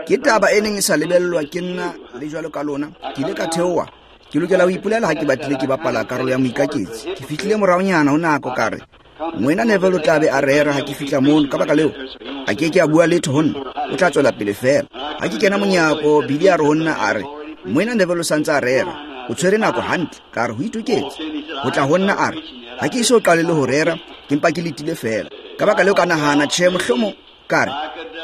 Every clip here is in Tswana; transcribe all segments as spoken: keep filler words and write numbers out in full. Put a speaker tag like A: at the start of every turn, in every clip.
A: Ke taba e neng e sa lebellwa ke nna le jwalo ka lona. Ke ile ka theoha. Ke lokela ho ipolela ha ke batlile ke bapala karolo ya moikaketsi. Ke fihlile moraonyana ho nako ka re, Moena Neville o tla be a rera ha ke fihla mono. Ka baka leo, a ke ke a bua letho ho nna. O tla tswela pele feela. Ha ke kena monyako, Billy a re ho nna a re, Moena Neville o sa ntse a rera. O tshwere nako hantle. Ka re ho itoketse. Ho tla ho nna a re, ha ke eso qale le ho rera, ke mpa ke letile feela. Ka baka leo ka nahana, tjhe, mohlomong ka re,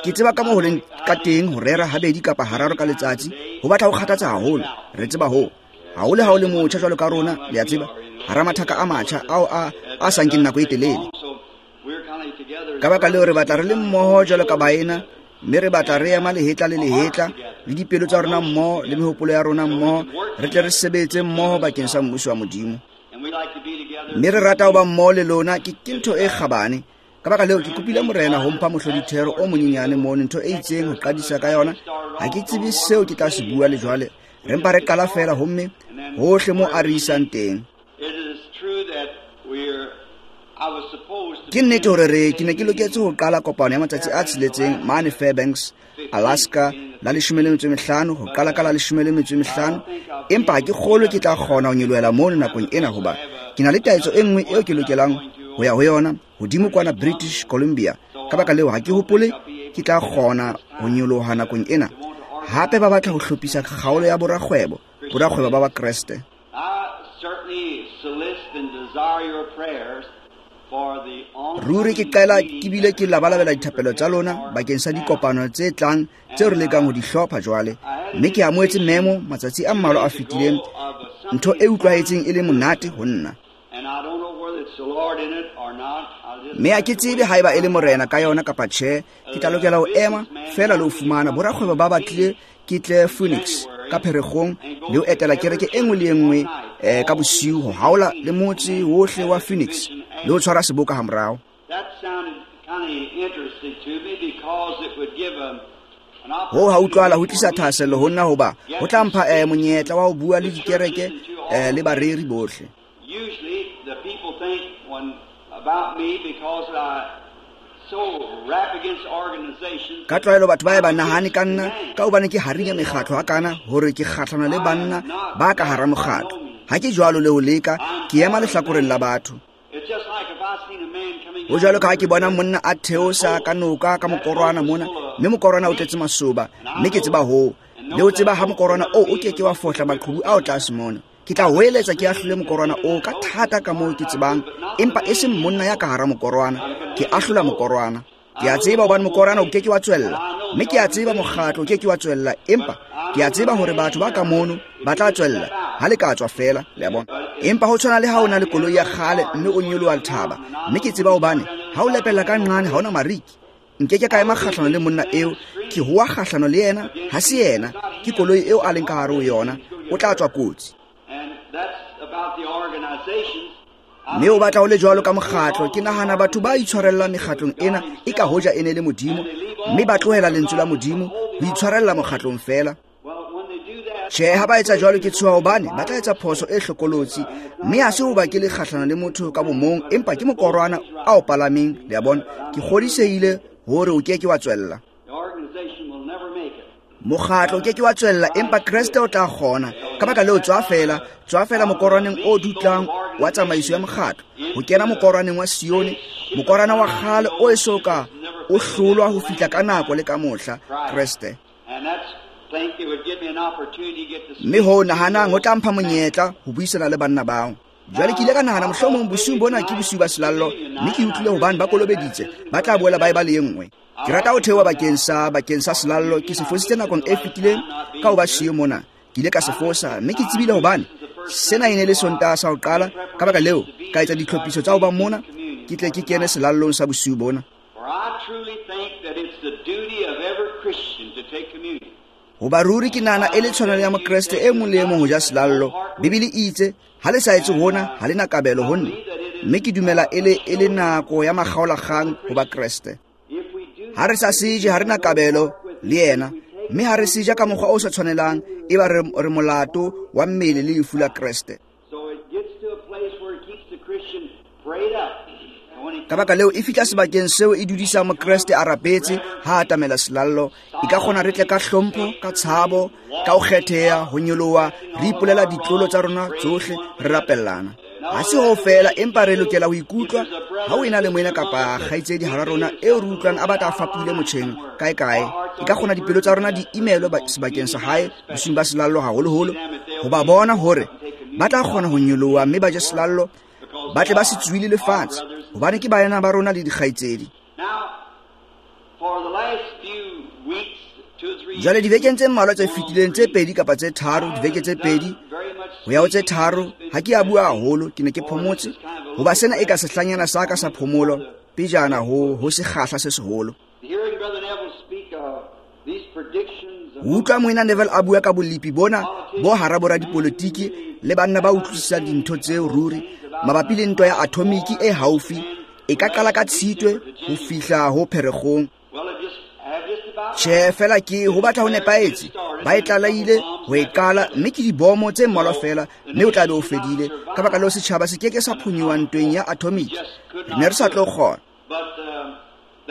A: ke tseba ka moo ho leng ka teng ho rera habedi kapa hararo ka letsatsi, ho batla ho kgathatsa haholo. Re tseba hoo. Haholo ha o le motjha jwalo ka rona, le a tseba, hara mathaka a matjha ao a a sa nkeng nako e telele. Ka baka leo re batla re le mmoho jwalo ka baena, mme re batla re ema lehetla le lehetla, le dipelo tsa rona mmoho, le mehopolo ya rona mmoho, re tle re sebetse mmoho bakeng sa mmuso wa Modimo. Mme re rata ho ba mmoho le lona, ke ke ntho e kgabane. Ka baka leo ke kopile Morena ho mpha mohlodithero o monyenyane mono, ntho e itseng ho qadisa ka yona. Ha ke tsebe seo ke tla se bua le jwale. Re mpa re qala feela homme hohle mo a re isang teng. Ke nnete hore re ke ne ke loketse ho qala kopano ya matsatsi a tsheletseng mane Fairbanks, Alaska, la leshome le metso e mehlano, ho qala ka la leshome le metso e mehlano. Empa ha ke kgolwe ke tla kgona ho nyolohela mono nakong ena, hoba ke na le taetso e nngwe eo ke lokelang ho ya ho yona hodimo kwana British Columbia. Ka baka leo ha ke hopole ke tla kgona ho nyoloha nakong ena. Hape ba batla ho hlophisa kgaolo ya borakgwebo, borakgwebo ba Bakreste. Ruri ke qela ke bile ke labalabela dithapelo tsa lona bakeng sa dikopano tse tlang tseo re lekang ho di hlopha jwale. Mme ke amohetse memo matsatsi a mmalwa a fetileng, ntho e utlwahetseng e le monate ho nna. Mme ha ke tsebe haeba e le Morena ka yona kapa tjhe, ke tla lokela ho ema feela le ho fumana borakgwebo ba batlile ke tle Phoenix ka Pherekgong le ho etela kereke e nngwe le e nngwe eh, ka bosiu ho haola le motse wohle wa Phoenix le ho tshwara seboka hamorao. Ho ha utlwala ho tlisa thahasello ho nna, hoba ho tla mpha eh, monyetla wa ho bua le dikereke eh, le bareri bohle.
B: Usually the people think when about me because I so rap against organizations.
A: Ka tlwaelo batho ba e ba nahane ka nna ka hobane ke harinya mekgatlo ha kana hore ke kgahlano le banna ba ka hara mokgatlo. Ha ke jwalo le ho leka, ke ema lehlakoreng la batho. Ho jwalo ka ha ke bona monna a theosa ka noka ka mokorwana mona, mme mokorwana o tletse masoba, mme ke tseba hoo. Le ho tseba ha mokorwana oo o ke ke wa fohla maqhubu ao tlase mona. Ke tla hoeletsa ke ahlole mokorwana oo ka thata ka moo ke tsebang, empa e seng monna ya ka hara mokorwana. Ke ahlola mokorwana. Ke a tseba hobane mokorwana o ke ke wa tswella, mme ke a tseba mokgatlo o ke ke wa tswella, empa ke a tseba hore batho ba ka mono ba tla tswella ha le ka tswa feela, le a bona. Empa ho tshwana le ha o na le koloi ya kgale mme o nyoloha thaba, mme ke tseba hobane ha o lepella ka nqane ha ona mariki. Nke ke ka ema kgahlano le monna eo, ke hoa kgahlano le yena, ha se yena, ke koloi eo a leng ka hare ho yona, o tla tswa kotsi. Mme o batla ho le jwalo ka mokgatlo. Ke nahana batho ba itshwarella mekgatlong ena e ka hoja e ne le Modimo, mme ba tlohela lentswe la Modimo ho itshwarella mokgatlong feela. Tjhe, ha ba etsa jwalo ke tshoha hobane ba tla etsa phoso e hlokolotsi, mme ha se hoba ke le kgahlano le motho ka bomong, empa ke mokorwana a o palameng, le a bona. Ke kgodisehile hore o ke ke wa tswella. Mokgatlo ke ke wa tswella, empa Kreste o tla kgona. Ka baka leo tswa feela, tswa feela mokorwaneng o dutlang wa tsamaiso ya mokgatlo, ho kena mokorwaneng wa Sione, mokorwana wa kgale o eso ka o hlolwa ho fihla ka nako le ka mohla, Kreste. Mme ho nahanang ho tla mpha monyetla ho buisana le banna bao. Jwale ke ile ka nahana mohlomong bosiung bona ke bosiu ba selallo, mme ke utlwile hobane ba kolobeditse, ba tla boela ba eba le e nngwe. Ke rata ho theoha bakeng sa bakeng sa selallo. Ke se fositse nakong e fetileng ka ho ba siyo mona. Ke ile ka se fosa, mme ke tsebile hobane sena e ne le Sontaha sa ho qala. Ka baka leo ka etsa ditlhophiso tsa ho ba mona, ke tle ke kene selallong sa bosiu bona. Hoba ruri ke nahana e le tshwanelo ya Mokreste e mong le e mong ho ja selallo. Bibele e itse, ha le sa etse hona, ha le na kabelo ho nna. Mme ke dumela e le e le nako ya makgaolakgang ho Bakreste. Ha re sa seje, ha re na kabelo le yena, mme ha re seja ka mokgwa o sa tshwanelang, e ba re, re molato wa mmele le lefu la Kreste. Ka baka leo e fihla sebakeng seo e dudisa mokreste a rapetse ha a atamela selallo. E ka kgona re tle ka hlompho, ka tshabo, ka ho kgetheha, ho nyoloha, re ipolela ditlolo tsa rona tsohle, re rapellana. Ha se ho fela, empa re lokela ho ikutlwa ha o ena le moena kapa kgaitsedi hara rona eo re utlwang a batla a fapohile motjheng kae kae. E ka kgona dipelo tsa rona di imelwe sebakeng sa hae bosiung ba selallo haholoholo, ho ba bona hore ba tla kgona ho nyoloha mme ba je selallo, ba tle ba se tsuile lefatshe, hobane ke baena ba rona le dikgaitsedi. Jwale dibekeng tse mmalwa tse fetileng, tse pedi kapa tse tharo, dibeke tse pedi ho ya ho tse tharo, ha ke a bua haholo, ke ne ke phomotse, hoba sena e ka sehlanyana sa ka sa phomolo pejana ho ho sekgahla se seholo. Ho utlwa moena Neville a bua ka bolepi bona bo hara boradipolotiki le banna ba utlwisisang dintho tseo ruri mabapi le ntwa ya atomiki e haufi, e ka qala ka Tshitwe ho fihla ho Pherekgong. Tjhe, fela ke ho batla ho nepahetse, ba e tlaleile ho e qala, mme ke dibomo tse mmalwa fela, mme o tla be o fedile. Ka baka leo setjhaba se ke ke sa phonyoha ntweng ya atomiki, re ne re sa tlo kgona.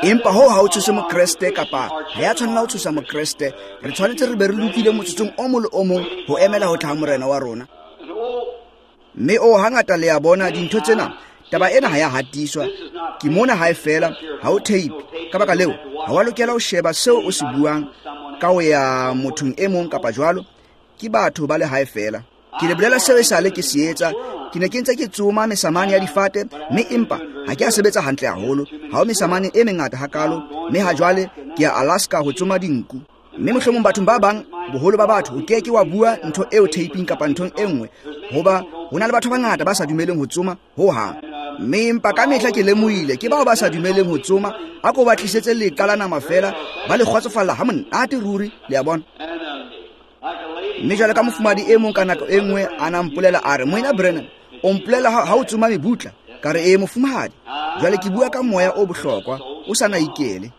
A: Empa hoo ha o tshose mokreste, kapa ha ya tshwanela ho tshosa mokreste. Re tshwanetse re be re lokile motsotsong o mong le o mong ho emela ho tla ha morena wa rona. Mme o hangata le ya bona dintho tsena, taba ena ha ya hatiswa, ke mona hae fela, ha o tape. Ka baka leo ha wa lokela ho sheba seo o se buang ka ho ya mothong e mong kapa jwalo, ke batho ba le hae fela. Ke le bolela seo esale ke se etsa. Ke ne ke ntse ke tsoma mesamane ya difate, mme empa ha ke a sebetsa hantle haholo. Ha ho mesamane e mengata hakalo, mme ha jwale ke ya Alaska ho tsoma dinku. Mme mohlomong bathong ba bang, boholo ba batho, o ke ke wa bua ntho eo taping kapa nthong e nngwe, hoba ho na le batho ba bangata ba sa dumeleng ho tsoma ho hang. Mme empa ka mehla ke lemohile ke bao ba sa dumeleng ho tsoma, a ko ba tlisetse leqa la nama fela, ba le kgotsofalla ha monate ruri, le a bona. Mme jwale ka mofumadi e mong ka nako e nngwe a na mpolela a re, Moena Branham, o mpolela ha o tsoma mebutla. Ka re, ee mofumahadi, jwale ke bua ka moya o bohlokwa, o sa na ikele.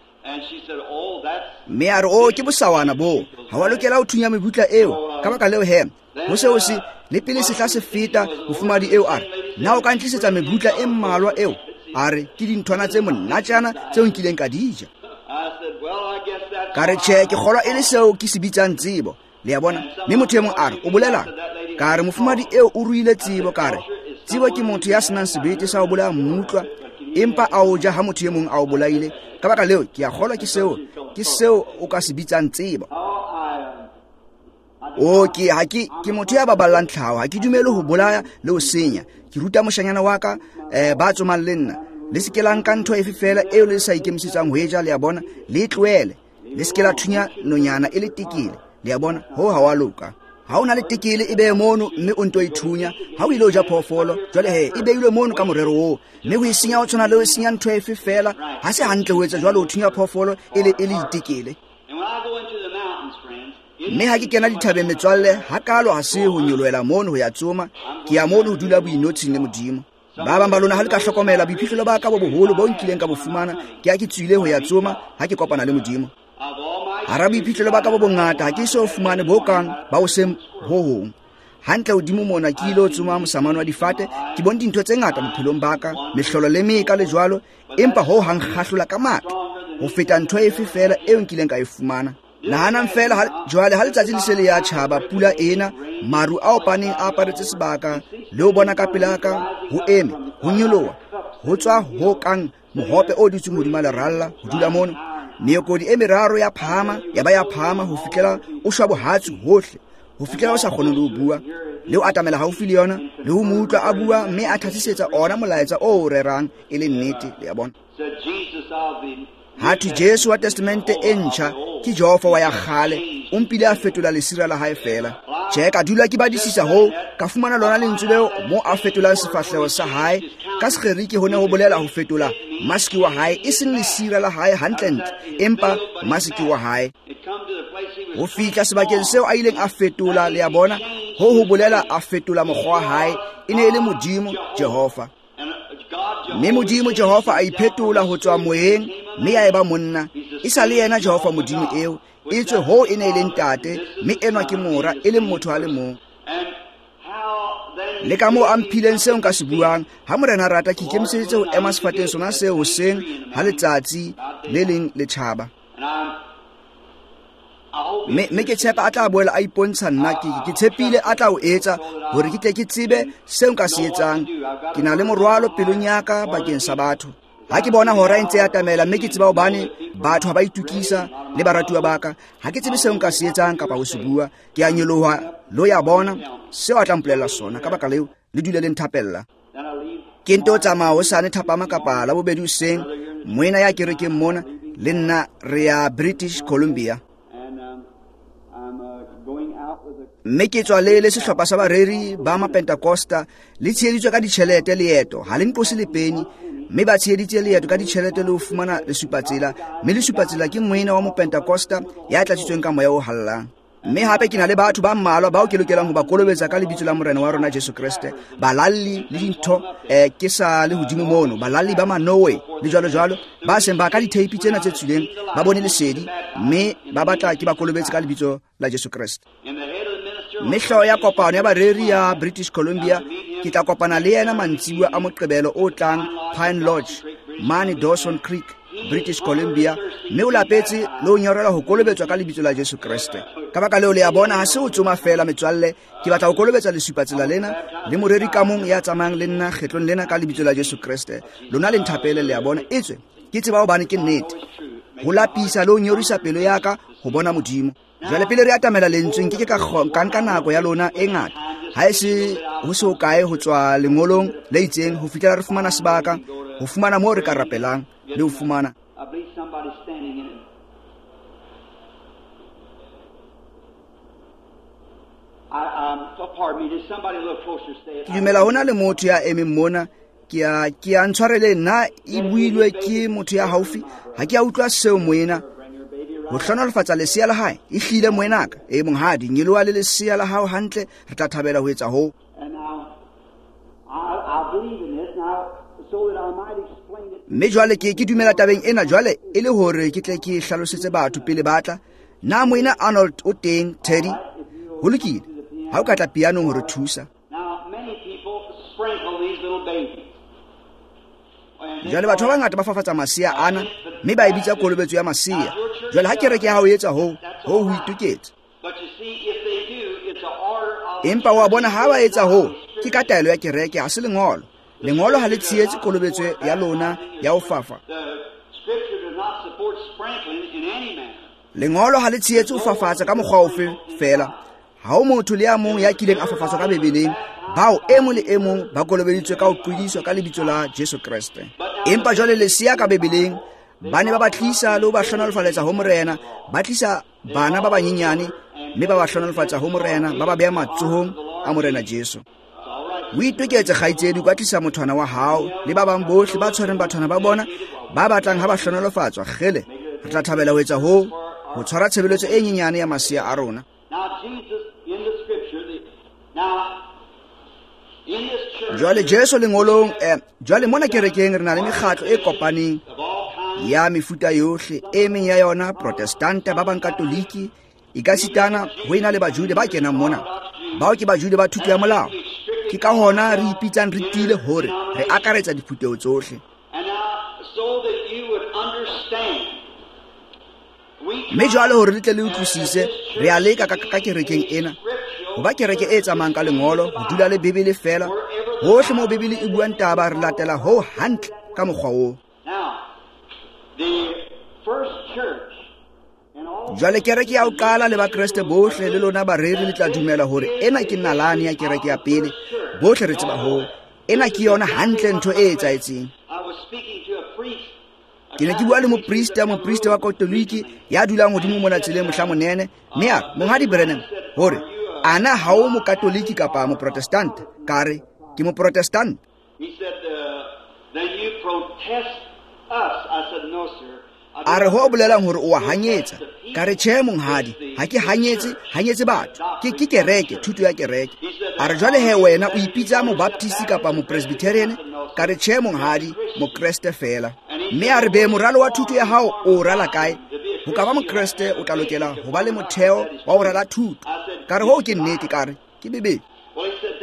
A: Mme a re, o ke bosawana boo, ha wa lokela ho thunya mebutla eo. Ka baka leo he, ho se ho se le pele sehla se feta, mofumahadi eo a re, na o ka ntlisetsa mebutla e mmalwa eo? A re, ke dinthwana tse monatjana tseo nkileng ka di ja. Ka re, tjhe, ke kgolwa e le seo ke se bitsang tsebo. Le a bona? Mme motho e mong a re, o bolelang? Ka re, mofumahadi eo o ruile tsebo. Ka re, tsebo ke motho ya senang sebete sa ho bolaya mmutlwa, empa a o ja ha motho e mong a o bolaile. Ka baka leo ke a kgolwa ke seo, ke seo o ka se bitsang tsebo. O ke ha ke ke motho ya baballang tlhaho, ha ke dumele ho bolaya le ho senya. Ke ruta moshanyana wa ka, eh, ba tsomang le nna, le se ke la nka ntho efe fela eo le sa ikemisetsang ho e ja, le a bona, le e tlohele. Le se ke la thunya nonyana e le tekele, le a bona, ho ha wa loka. Ha o na le tekele e behe mono, mme o nto e thunya. Ha o ile ho ja phoofolo, jwale he, e beilwe mono ka morero oo, mme ho e senya ho tshwana le ho senya ntho efe fela. Ha se hantle ho etsa jwalo, ho thunya phoofolo e le e le itekele. Mme ha ke kena dithabeng metswalle, hakalo ha se ho nyolohela mono ho ya tsoma, ke ya mono ho dula boinotshing le Modimo. Ba bang ba lona ha le ka hlokomela boiphihlelo ba ka bo boholo bo nkileng ka bo fumana, ke ha ke tswile ho ya tsoma ha ke kopana le Modimo. Hara boiphihlelo ba ka bo bongata, ha ke so fumane bo kang ba ho seng ho hong. Hantle hodimo mona ke ile ho tsoma mosamane wa difate, ke bone dintho tse ngata bophelong ba ka, mehlolo le meka le jwalo, empa ho hang kgahlola ka matla ho feta ntho efe fela eo nkileng ka e fumana. Nahanang fela jwale ha letsatsi le se le ya tjhaba, pula ena, maru a opaneng a aparetse sebaka, le ho bona ka pela ka, ho eme, ho nyoloha, ho tswa ho kang mohope o dutseng hodima leralla, ho dula mono. Meokodi e meraro ya phahama, ya ba ya phahama ho fihlela o shwa bohatsu hohle, ho fihlela o sa kgone le ho bua, le ho atamela haufi le yona, le ho mo utlwa a bua, mme a thasisetsa ona molaetsa o o rerang e le nnete, le a bona. Ha thwe Jesu wa Testamente e ntjha ke Jehova wa ya kgale, o mpile a fetola lesira la hae fela. Tjhe, ka dula ke badisisa hoo, ka fumana lona lentswe leo mo a fetolang sefahleho sa hae. Ka Segerike ho ne ho bolela ho fetola maske wa hae, e seng lesira la hae hantlentle, empa maske wa hae. Ho fihla sebakeng seo a ileng a fetola, le a bona, ho ho bolela a fetola mokgwa wa hae, e ne e le Modimo Jehova. Mme Modimo Jehova a iphetola ho tswa moyeng, mme ya eba monna. E sa le yena Jehova Modimo eo, etswe hoo e ne e le ntate, mme enwa ke mora, e leng motho a le mong. Le ka moo a mphileng seo nka se buang, ha Morena a rata ke ikemiseditse ho ema sefateng sona seo hoseng ha letsatsi le leng le tjhaba. Mme mme ke tshepa a tla boela a ipontsha nna, ke ke tshepile a tla o etsa hore ke tle ke tsebe seo nka se etsang. Ke na le morwalo pelong ya ka bakeng sa batho. Ha ke bona hora e ntse e atamela, mme ke tseba hobane batho ha ba itukisa le baratuwa ba ka, ha ke tsebe seo nka se etsang kapa ho se bua. Ke a nyoloha lo ya bona seo a tla mpolella sona. Ka baka leo le dule le nthapella. Ke nto tsamaya hosane thapama kapa la bobedi hoseng, moena ya kerekeng mona le nna re ya British Columbia. Mme ke tswa le le sehlopha sa bareri ba Mapentekosta, le tsheheditswe ka ditjhelete leeto, ha le nqose le peni, mme ba tsheheditse leeto ka ditjhelete le ho fumana lesupatsela, mme lesupatsela ke moena wa Mopentekosta ya tlatsitsweng ka moya o hallang. Mme hape ke na le batho ba mmalwa bao ke lokelang ho ba kolobetsa ka lebitso la Morena wa rona Jesu Kreste, balalli le dintho, eh, ke sa le hodimo mono, balalli ba Manowe le jwalo jwalo, ba seng ba ka ditheipi tsena tse tswileng, ba bone lesedi, mme ba batla ke ba kolobetse ka lebitso la Jesu Kreste. Mme hlooho ya kopano ya bareri ya British Columbia, ke tla kopana le yena mantsibuya a Moqebelo o tlang Pine Lodge, mane Dawson Creek, British Columbia, mme o lapetse le ho nyorelwa ho kolobetswa ka lebitso la Jesu Kreste. Ka baka leo le a bona ha se ho tsoma feela metswalle, ke batla ho kolobetsa lesupatsela lena le moreri ka mong ya tsamayang le nna kgetlong lena ka lebitso la Jesu Kreste. Lona le nthapele, le a bona, etswe ke tseba hobane ke nnete. Ho lapisa le ho nyorisa pelo ya ka ho bona Modimo. Jwale pele re atamela lentsweng, ke ke ka ka nka nako ya lona e ngata, ha e se ho se hokae ho tswa lengolong le itseng ho fihlela re fumana sebaka, ho fumana moo re ka rapelang le ho fumana. Ke dumela hona le motho ya emeng mona, ke a ke a ntshwarele nna e builwe ke motho ya haufi, ha ke a utlwa seo moena. Ho hlohonolofatsa lesea la hae, e hlile moenaka, e monghadi, nyeloa le lesea la hao hantle, re tla thabela ho etsa hoo. Mme jwale ke ke dumela tabeng ena jwale e le hore ke tle ke hlalosetse batho pele ba tla. Na moena Arnold o teng, Teddy? Ho lokile, ha o ka tla pianong ho re thusa. Jwale batho ba bangata ba fafatsa masea ana, mme ba e bitsa kolobetso ya masea. Jwale ha kereke ya hao e etsa hoo, hoo ho itoketse. Empa wa bona ha ba etsa hoo, ke ka taelo ya kereke, ha se lengolo. Lengolo ha le tshehetse kolobetso ya lona ya ho fafa. Lengolo ha le tshehetse ho fafatsa ka mokgwa ofe feela. Ha ho motho le ya mong ya kileng a fafatswa ka Bibeleng, bao e mong le e mong ba kolobeditswe ka ho qwediswa ka lebitso la Jesu Kreste. Empa jwale lesea ka Bibeleng, ba ne ba ba tlisa le ho ba hlohonolofaletsa ho Morena, ba tlisa bana ba banyenyane mme ba ba hlohonolofatsa ho Morena, ba ba beha matsohong a Morena Jesu. O itoketse kgaitsedi, o ka tlisa mothwana wa hao le ba bang bohle ba tshwereng bathwana ba bona ba batlang ha ba hlohonolofatswa. Kgele, re tla thabela ho etsa hoo, ho tshwara tshebeletso e nyenyane ya masea a rona. Jwale Jesu lengolong, eh, jwale mona kerekeng re na le mekgatlo e kopaneng ya mefuta yohle, e meng ya yona Protestanta, ba bang Katoliki, e ka sitana ho ena le Bajude ba kenang mona. Bao ke Bajude ba thuto ya molao. Ke ka hona re ipitsang re tiile hore re akaretsa diphutheho tsohle. Mme jwale hore le tle le utlwisise, re a leka ka, ka kerekeng ena ho ba kereke e tsamayang ka lengolo, ho dula le Bibele feela. Hohle moo Bibele e buang taba, re latela ho hantle ka mokgwa oo. Jwale kereke ya ho qala le bakreste bohle le lona bareri le tla dumela hore ena ke nalane ya kereke ya pele. Bohle re tseba hoo. Ena ke yona hantle ntho e etsahetseng. Ke ne ke bua le moprista, moprista wa Katoliki ya dulang hodimo mona tseleng mohla monene, mme a re, Monghadi Branham, hore ana ha o mokatoliki kapa moprotestanta? Ka re, ke moprotestanta. A re ho bolelang hore o a hanyetsa. Ka re, tjhe monghadi, ha ke hanyetse, hanyetse batho. Ke ke kereke, thuto ya kereke. A re jwale he wena o ipitsa mobaptist kapa mopresbyterian? Ka re, tjhe monghadi, mokreste feela. Mme a re be moralo wa thuto ya hao o rala kae? Ho ka ba mokreste o tla lokela ho ba le motheo wa ho rala thuto. Ka re, hoo ke nnete, ka re, ke Bibele.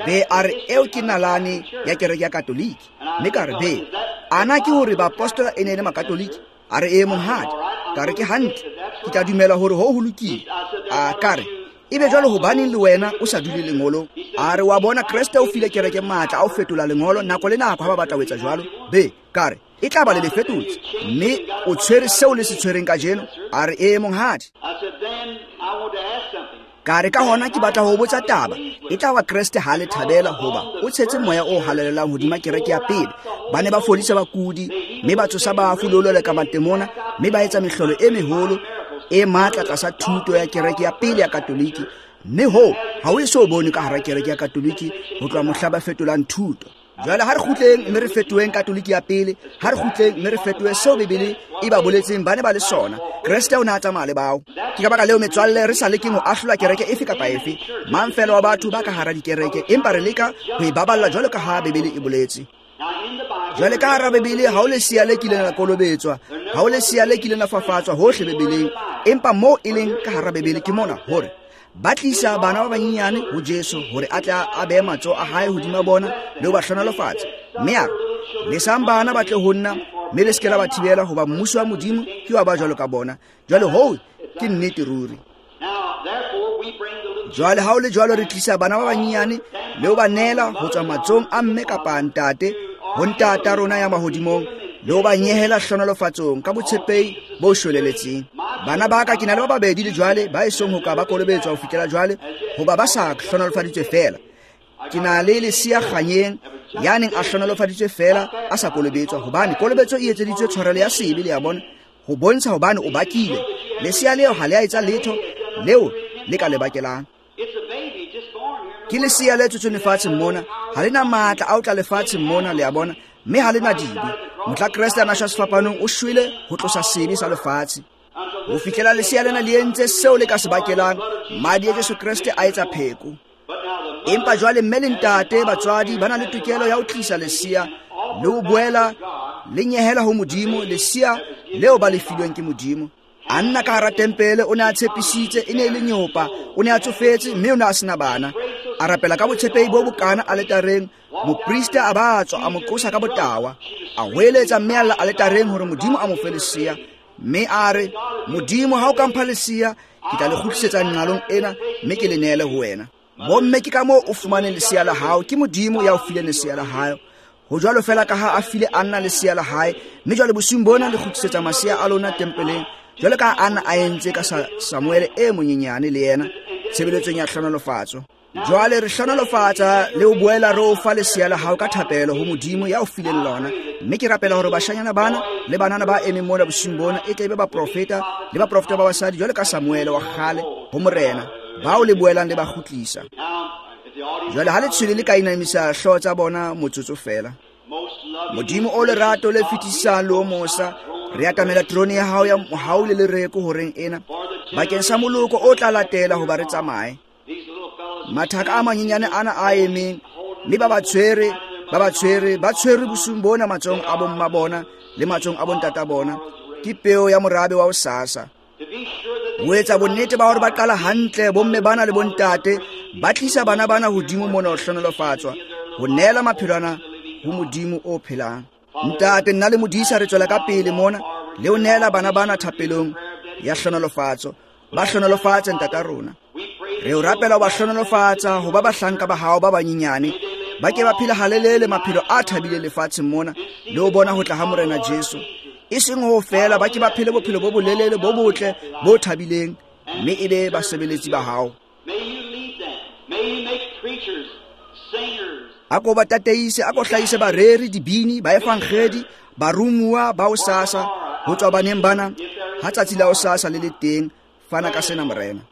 A: Be a re eo ke nalane ya kereke ya Katoliki. Mme ka re be ana ke hore baapostola e ne e le Makatoliki? A re e monghadi. Ka re ke hantle, ke tla dumela hore ho ho lokile. A ka re ebe jwale hobaneng le wena o sa dule lengolong? A re wa bona Kreste o file kereke matla a ho fetola lengolo nako le nako ha ba batla ho etsa jwalo. Be ka re e tla ba le le fetotse, mme o tshwere seo le se tshwereng kajeno. A re e monghadi. Ka re ka hona ke batla ho botsa taba. E tla ba Kreste ha le thabela hoba o tshetse moya o halalelang hodima kereke ya pele. Ba ne ba fodisa bakudi, mme ba tsosa bafu le ho leleka matemona, mme ba etsa mehlolo e meholo e matla tlasa thuto ya kereke ya pele ya Katoliki. Mme ho ha o eso bone ka hara kereke ya Katoliki ho tloha mohla ba fetolang thuto. Jwale ha re kgutleng mme re fetoheng Katoliki ya pele, ha re kgutleng mme re fetohe seo Bibele e ba boletseng ba ne ba le sona. Kreste o ne a tsamaya le bao. Ke ka baka leo metswalle re sa lekeng ho ahlola kereke efe kapa efe, mang fela wa batho ba ka hara dikereke, empa re leka ho e baballa jwalo ka ha Bibele e boletse. Jwale ka hara Bibele ha o lesea le kileng la kolobetswa, ha o lesea le kileng la fafatswa hohle Bibeleng, empa moo e leng ka hara Bibele ke mona hore ba tlisa bana ba banyenyane ho Jesu hore a tle a behe matsoho a hae hodima bona le ho ba hlohonolofatsa. Mme a re, lesang bana ba tle ho nna, mme le se ke la ba thibela, hoba mmuso wa Modimo ke wa ba jwalo ka bona. Jwale hoo ke nnete ruri. Jwale ha o le jwalo re tlisa bana ba banyenyane le ho ba neela ho tswa matsohong a mme kapa ntate ho ntata rona ya mahodimong, le ho ba nyehela hlohonolofatsong ka botshepehi bo shweleletseng. Bana ba ka ke na le ba babedi le jwale ba esong ho ka ba kolobetswa ho fihlela jwale, hoba ba sa hlohonolofaditswe feela. Ke na le lesea kganyeng ya neng a hlohonolofaditswe feela a sa kolobetswa, hobane kolobetso e etseditswe tshwarelo ya sebe, le ya bona, ho bontsha hobane o bakile. Lesea leo ha le a etsa letho leo le ka le bakelang. Ke lesea le tswetsweng lefatsheng mona, ha le na matla a ho tla lefatsheng mona, le a bona, mme ha le na dibe. Mohla Kreste a na shwa sefapanong, o shwele ho tlosa sebe sa lefatshe. Ho fihlela lesea lena le entse seo le ka se bakelang, madi a Jesu Kreste a etsa pheko. Empa jwale mme le ntate batswadi ba na le tokelo ya ho tlisa lesea le ho boela le nyehela ho Modimo lesea leo ba le filweng ke Modimo. A nna ka hara tempele, o ne a tshepisitse, e ne e le nyopa, o ne a tsofetse mme o ne a sena bana. A rapela ka botshepehi bo bokana aletareng, moprista a ba tswa a mo qosa ka botawa. A hweletsa mme a lla aletareng hore Modimo a mo fe lesea. Mme a re, Modimo ha o ka mpha lesea, ke tla le kgutlisetsa nqalong ena mme ke le neele ho wena. Bomme ke ka moo o fumaneng lesea la hao, ke Modimo ya o fileng lesea la hao. Ho jwalo fela ka ha a file Anna lesea la hae, mme jwale bosiung bona le kgutlisetsa masea a lona tempeleng, jwale ka Anna a entse ka Samuele e monyenyane le yena tshebeletsong ya hlohonolofatso. Jwale re hlohonolofatsa le ho boela re o fa lesea la hao ka thapelo ho Modimo ya o fileng lona. Mme ke rapela hore bashanyana bana le banana ba emeng mona bosiung bona e tle be baprofeta le baprofeta ba basadi jwale ka Samuele wa kgale ho Morena, bao le boelang le ba kgutlisa. Jwale ha letshwele le ka inamisa hlooho tsa bona motsotso fela. Modimo o lerato le fetisang le o mosa, re atamela terone ya hao ya mohau le lereko horeng ena bakeng sa moloko o tla latela hoba re tsamaye. Mathaka a manyenyane ana a emeng, mme ba ba tshwere, ba ba tshwere, ba tshwere bosiung bona matsohong a bomma bona le matsohong a bontata bona. Ke peo ya morabe wa hosasa. Ho etsa bonnete ba hore ba qala hantle, bomme bana le bontate ba tlisa bana bana hodimo mona ho hlohonolofatswa, ho neela maphelo ana ho Modimo o phelang. Ntate, nna le modisa re tswela ka pele mona le ho neela bana bana thapelong ya hlohonolofatso. Ba hlohonolofatse ntata rona. Re o rapela ho ba hlohonolofatsa ho ba bahlanka ba hao ba banyenyane, ba ke ba phela halelele maphelo a thabileng lefatsheng mona le ho bona ho tla ha Morena Jesu. E seng ho fela, ba ke ba phele bophelo bo bolelele bo botle bo thabileng, mme e be basebeletsi ba hao. A ko ba tataise, a ko hlahise bareri, dibini, baefangedi, barumuwa ba hosasa ho tswa baneng bana ha tsatsi la hosasa le le teng. Fana ka sena Morena.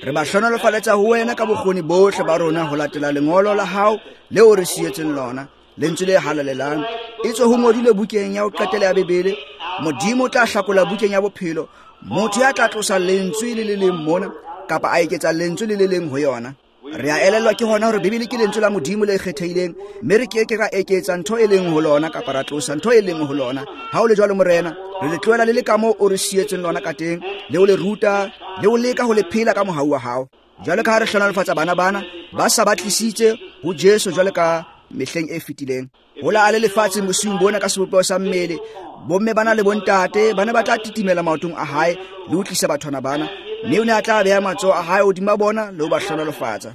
A: Re ba hlohonolofaletsa ho wena ka bokgoni bohle ba rona ho latela lengolo la hao leo re sietseng lona, lentswe le halalelang. Etswe ho ngodilwe bukeng ya ho qetela ya Bibele, Modimo o tla hlakola bukeng ya bophelo motho ya tla tlosa lentswe le le leng mona kapa a eketsa lentswe le le leng ho yona. Re a elellwa ke hona hore Bibele ke lentswe la Modimo le kgethehileng, mme re ke ke ra eketsa ntho e leng ho lona kapa ra tlosa ntho e leng ho lona. Ha o le jwalo Morena, re le tlohela le le kamoo o re sietseng lona ka teng, le ho le ruta, le ho leka ho le phela ka mohau wa hao. Jwale ka ha re hlohonolofatsa bana bana ba sa ba tlisitse ho Jesu jwale ka mehleng e fetileng. Hola a le lefatsheng bosiung bona ka sebopeho sa mmele, bomme bana le bontate ba ne ba tla titimela maotong a hae le ho tlisa bathwana bana, mme o ne a tla beha matsoho a hae hodima bona le ho ba hlohonolofatsa.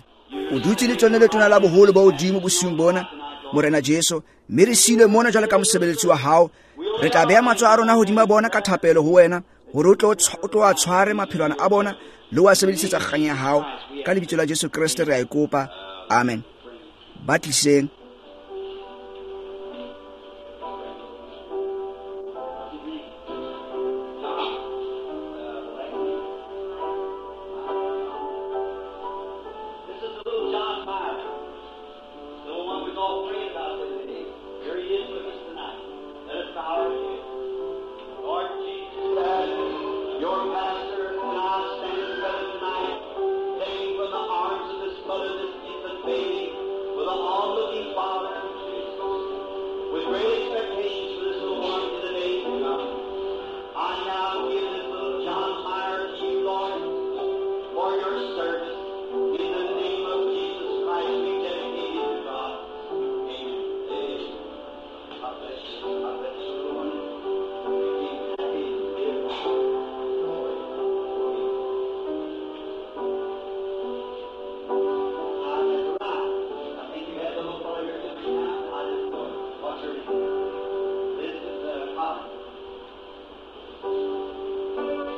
A: O dutse le tsone letona la boholo ba hodimo bosiung bona, Morena Jesu, mme re siilwe mona jwale ka mosebeletsi wa hao. Re tla beha matsoho a rona hodima bona ka thapelo ho wena, hore o tlo o tlo a tshware maphelwana a bona le ho a sebedisetsa kganya ya hao. Ka lebitso la Jesu Kreste re a e kopa. Amen. Ba tliseng.
B: This is the little John Meyer, the one we've all prayed about today. Here he is with us tonight. Let us bow our heads. Lord Jesus, as your pastor and I stand together tonight, taking from the arms of this mother this infant baby, with an onlooking father, with great expectations for this little one in the days to come. I now give this little John Meyer to you, Lord, for your service. In the name of Jesus Christ, we dedicate it to God. Amen. Amen. God bless you. God bless you, Lord. Make him happy and live. Glory to God. Ah, that's right. I think you had the little fellow here just now. I didn't know it. What's her name? This is uh, Collins.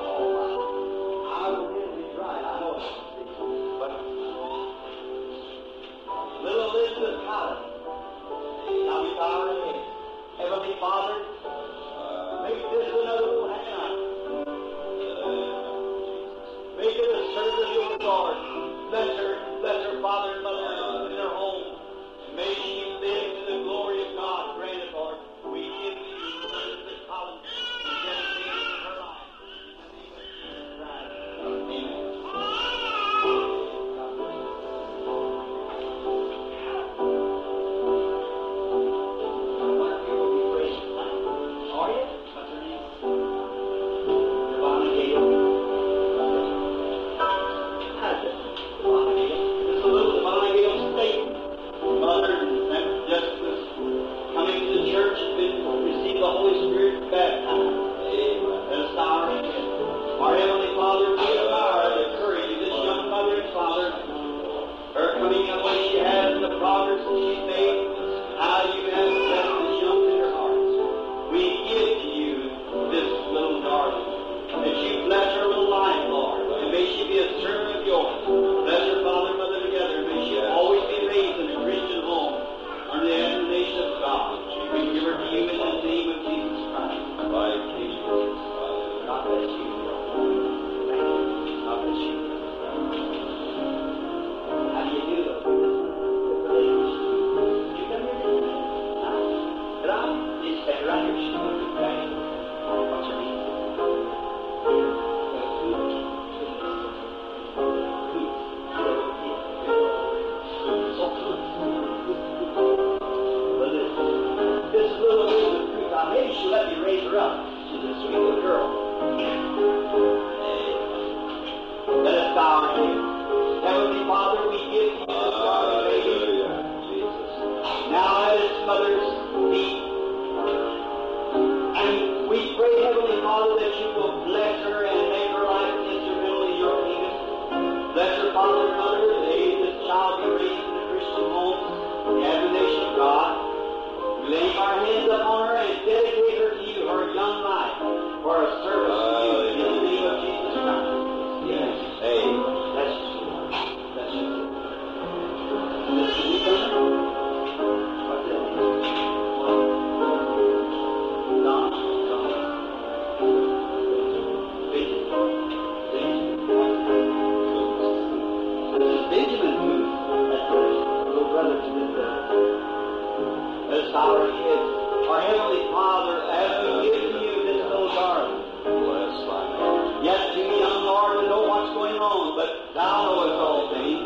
B: Oh, I will he's right. I know it. But little Elizabeth Collins. Now we bow our heads. Heavenly Father, make this another little Hannah. Make it a servant of your Lord. Bless her, bless her father and mother in her home. And may she live to the glory of God. Grant it, Lord. We give to you Elizabeth Collins and dedicate her life. In the name of Jesus Christ. Amen. God bless you. I wonder if you will be praying tonight. Are you? What's her name? Devonna Gale. How's it? Devonna Gale. This is a little Devonna Gale State. Mother and just was coming to the church and been received the Holy Spirit and baptized. Let us bow our heads. Our Heavenly Father, we admire the courage of this young mother and father, her coming up way she has and the progress that she's made, how you have blessed this young tender hearts. We give to you this little darling, that you bless her little life, Lord, and may she be a servant of yours. Bless her father and mother together. May she always be raised in a Christian home under the admonition of God. We give her to you in the name of Jesus Christ. God bless you. Thank you. God bless you. How do you do? Did you come here today? Huh? Did I? You stand right here. She's going to be back. What's her name? But this, this little Elizabeth Cruz, now maybe she'll let me raise her up. She's a sweet little girl. Let us bow our heads. Heavenly Father, we give to you this darling baby. Now at its mother's feet. And we pray, Heavenly Father, that you will bless her and make her life instrumental in your kingdom. Bless her father and mother. May this child be raised in a Christian home, in the admonition of God. We lay our hands upon her and dedicate her to you, her young life, for a service to you in the name of Jesus Christ. Yes. Amen. Bless you. Bless you. This is you, What's that? Don. Don. Benjamin. This is Benjamin Booth. That's the little brother to this brother. Let us bow our heads. Our Heavenly Father, as we give to you this little darling,
C: Bless thy name.
B: yet too young, Lord, to know what's going on, but Thou knowest all things.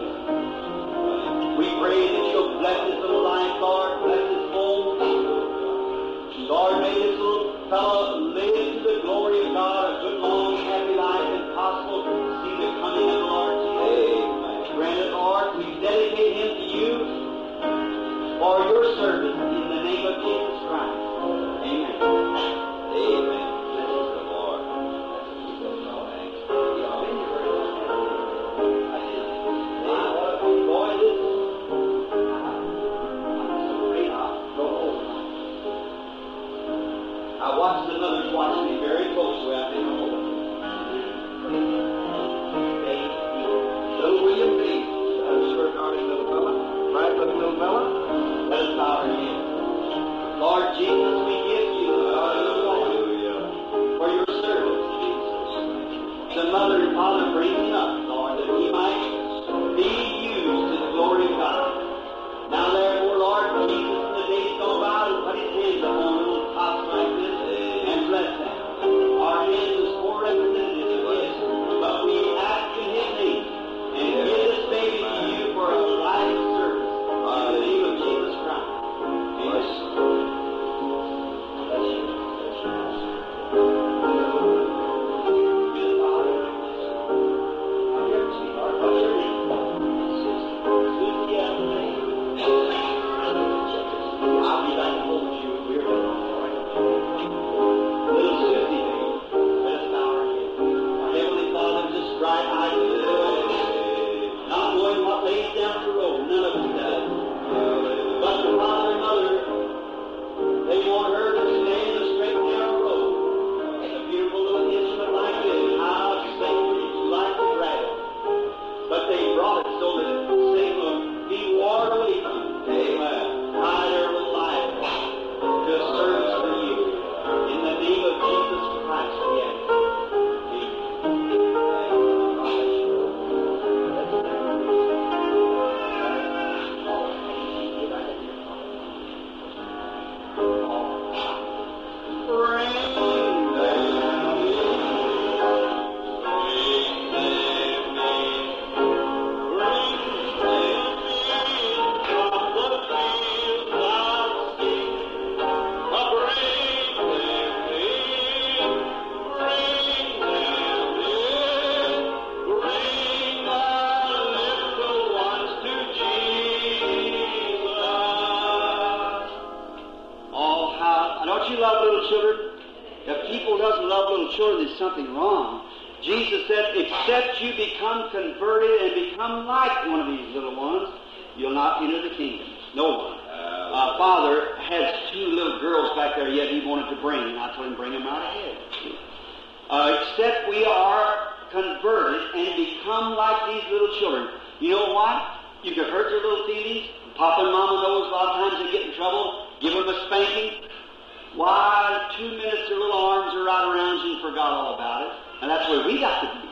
B: Pray that you'll bless his little life, Lord. Bless his home. Lord, may this little fellow live to the glory of God, a good, long, happy life, and possible to see the coming of the Lord Jesus. Amen. Grant it, Lord, we dedicate him to you for your service in the name of Jesus Christ. Amen.
C: Amen. Bless the Lord.
B: My, what a big boy this is. I'm so afraid I'll go home. I watched the mothers watch me very closely. I think, oh,
C: Little William Bates, a sure darling little fella, bright looking little fella.
B: Let us bow our heads. Lord Jesus, we give you our little boy for your service. The mother and father bring him up, Lord, that he might be used to the glory of God. Now therefore, Lord Jesus, in the days gone by, will put his hands upon little tots like this and bless them. Our hands is poor representatives of his, but we ask in his name and give this baby to you for a life of service. In the name of Jesus Christ. Amen. Bless you. Bless you. Good Father. Here, sweetheart. What's your name? Susie Ellen. I'll be back to hold you. We're done. All right. Little Susie, baby. Let us bow our heads. Our Heavenly Father, this bright-eyed little girl, not knowing what lays down the road, none of us does. But the father and mother, they want her to stay in the straight and narrow road. A beautiful little instrument like this, how Satan like to grab it. But they brought it so that Satan will be warned away from it. Amen. Hide her little life to a service for you. In the name of Jesus Christ, we ask. Oh, how, don't you love little children? If people doesn't love little children, there's something wrong. Jesus said, except you become converted and become like one of these little ones, you'll not enter the kingdom. No one. Uh, Father has two little girls back there yet he wanted to bring, and I told him, bring them right ahead. Uh, except we are converted and become like these little children. You know what? You can hurt their little feelings. Papa and Mama knows a lot of times they get in trouble. Give them a spanking. Why, two minutes their little arms are right around you and forgot all about it. And that's where we got to be.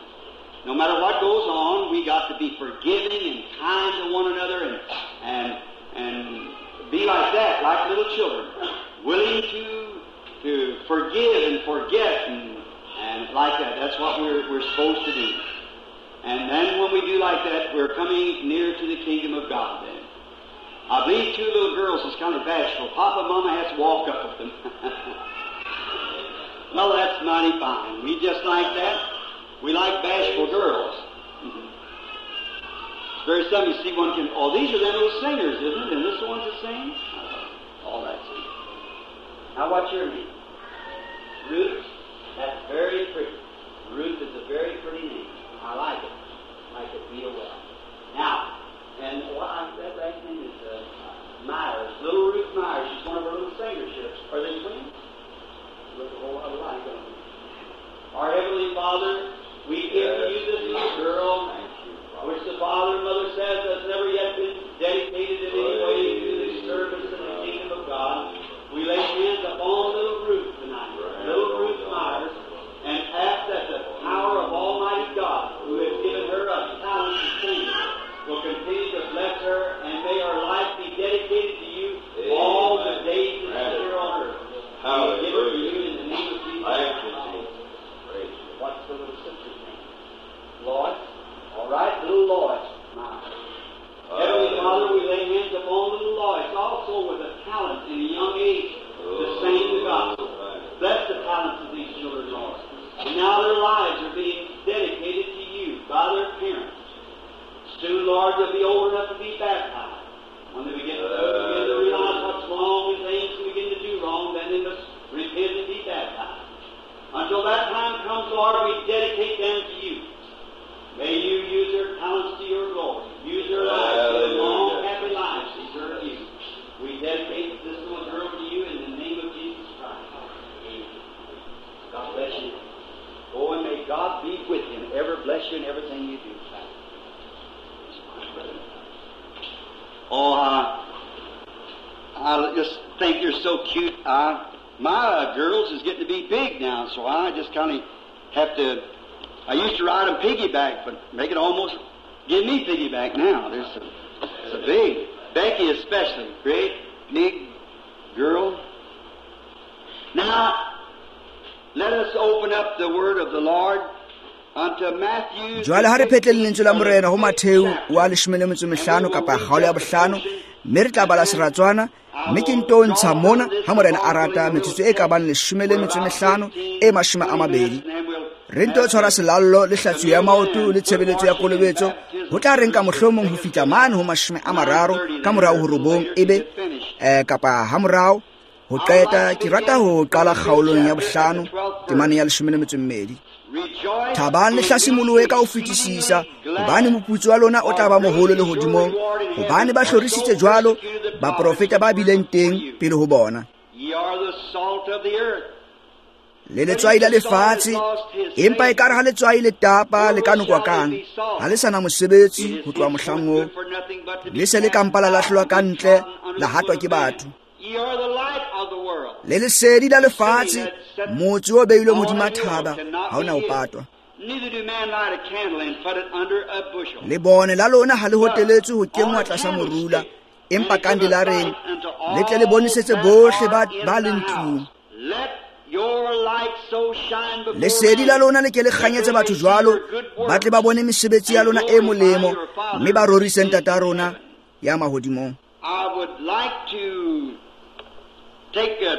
B: No matter what goes on, we got to be forgiving and kind to one another and and and be like that, like little children, willing to to forgive and forget and, and like that. That's what we're we're supposed to do. And then when we do like that, we're coming near to the kingdom of God then. I believe two little girls is kind of bashful. Papa and Mama has to walk up with them. Well, that's mighty fine. We just like that. We like bashful girls. It's very seldom you see one can... Oh, these are them little singers, isn't it? And this the ones that sing? All right. Now, what's your name? Ruth? That's very pretty. Ruth is a very pretty name. I like it. I like it real well. Now, and what I, that last name is uh, Myers, Little Ruth Myers. She's one of our little singers here. Are they twins? Look a whole lot alike, don't they? Our Heavenly Father, we give to you this little girl, which the father and mother says has never yet been dedicated in any way to the service in the kingdom of God. We lay hands upon little Ruth tonight, little Ruth Myers, and ask that the power of Almighty God bless you in everything you do. Oh, I, I just think you're so cute. I, my uh, girls is getting to be big now, so I just kind of have to. I used to ride them piggyback, but make it almost give me piggyback now. They're so, so big. Becky especially, great big girl. Now, let us open up the word of the Lord unto Matthew.
A: Jwale ha re phetleng lentswe la Morena ho Mattheu wa leshome le metso e mehlano kapa kgaolo ya bohlano, mme re tla bala seratswana, mme ke nto ntsha mona ha Morena a rata metsotso e ka bang leshome le metso e mehlano e mashome a mabedi. Re nto tshwara selallo le hlatsuo ya maoto le tshebeletso ya kolobetso ho tla re nka mohlomong ho fihla mane ho mashome a mararo ka morao ho robong ebe eh kapa ha morao ho qeta. Ke rata ho qala kgaolong ya bohlano temane ya leshome le metso e mmedi. Thabang le hlasimolohe ka ho fetisisa, hobane moputso wa lona o tla ba moholo lehodimong, hobane ba hlorisitse jwalo baprofeta ba bileng teng pele ho bona. Le letswai la lefatshe, empa ekare ha letswai le tapa le ka nokwa kang, ha le sa na mosebetsi ho tloha mohlang oo, le se le ka mpa la lahlelwa ka ntle, la hatwa ke batho. Le lesedi la lefatshe, motse o beilweng hodima thaba ha o na ho patwa. Lebone la lona ha le hoteletswe ho kenngwa tlasa morula, empa kandelareng le tle le bonesetse bohle ba ba leng tlung. Lesedi la lona le ke le kganyetse batho jwalo, ba tle ba bone mesebetsi ya lona e molemo, mme ba rorise Ntata rona ya mahodimong.
B: I would like to take a,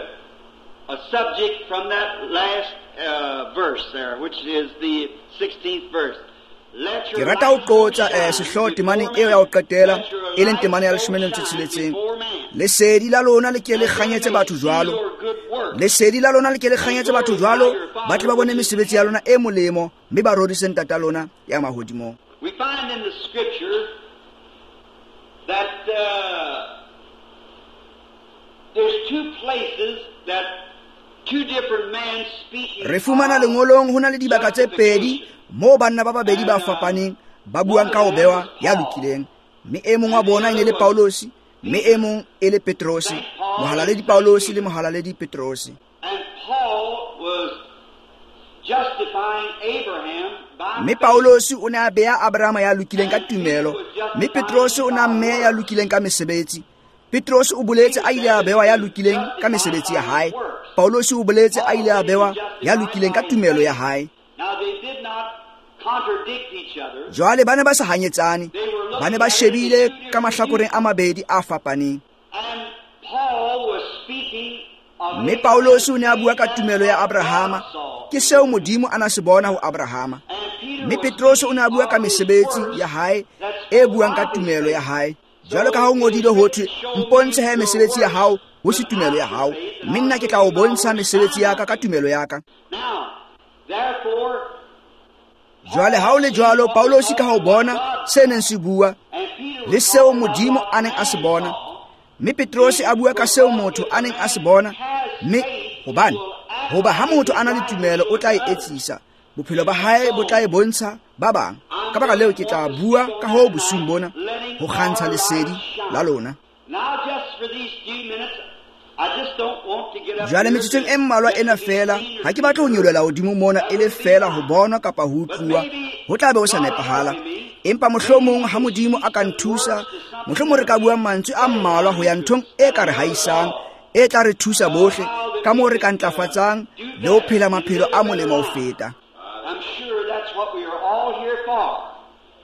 B: a subject from that last uh, verse there, which is the sixteenth verse.
A: Ke rata ho qotsa eh, sehlooho temaneng eo ya ho qetela, e leng temane ya leshome le metso e tsheletseng. Lesedi la lona le ke le kganyetse batho jwalo, lesedi la lona le ke le kganyetse batho jwalo, ba tle ba bone mesebetsi ya lona e molemo, mme ba rorise Ntata lona ya mahodimong.
B: We find in the scripture that uh, there's two places that two different men speaking.
A: Re fumana lengolong ho na le dibaka tse pedi moo banna ba babedi ba fapaneng ba buang ka ho bewa ya lokileng, mme e mong wa bona e ne le Paulosi, mme e mong e le Petrosi, mohalaledi Paulosi le mohalaledi Petrosi.
B: And Paul was justifying Abraham by
A: Mme Paulosi o ne a beha Abrahama ya lokileng ka tumelo, mme Petrosi o ne a mmeha ya lokileng ka mesebetsi. Petrosi o boletse a ile a bewa ya lokileng ka mesebetsi ya hae. Paulosi o boletse a ile a bewa ya lokileng ka tumelo ya hae.
B: Now they did not contradict each other.
A: Jwale ba ne ba sa hanyetsane, ba ne ba shebile ka mahlakoreng a mabedi a fapaneng.
B: And Paul was speaking of
A: Mme Paulosi o ne a bua ka tumelo ya Abrahama, ke seo Modimo a na se bona ho Abrahama. Mme Petrosi o ne a bua ka mesebetsi ya hae e buang ka tumelo ya hae. Jwalo ka ha ho ngodilwe ho thwe, mpontshe he mesebetsi ya hao ho se tumelo ya hao, mme nna ke tla o bontsha mesebetsi ya ka ka tumelo ya ka.
B: Now, therefore,
A: Jwale ha o le jwalo, Paulosi ka ho bona se neng se bua le seo Modimo a neng a se bona, mme Petrosi a bua ka seo motho a neng a se bona, mme hobane hoba ha motho a na le tumelo o tla e etsisa, bophelo ba hae bo tla e bontsha ba bang. Ka baka leo ke tla bua ka ho bosiung bona ho kgantsha lesedi la lona.
B: Now just for these few minutes, I just don't want to get up
A: Jwale metsotsong e mmalwa ena feela, ha ke batle ho nyolohela hodimo mona e le feela ho bona kapa ho utluwa, ho tla be ho sa nepahala. Empa mohlomong ha Modimo a ka nthusa, mohlomong re ka bua mantswe a mmalwa ho ya nthong e ka re haisang, e tla re thusa bohle ka moo re ka ntlafatsang le ho phela maphelo a molemo ho feta.
B: I'm sure that's what we are all here for.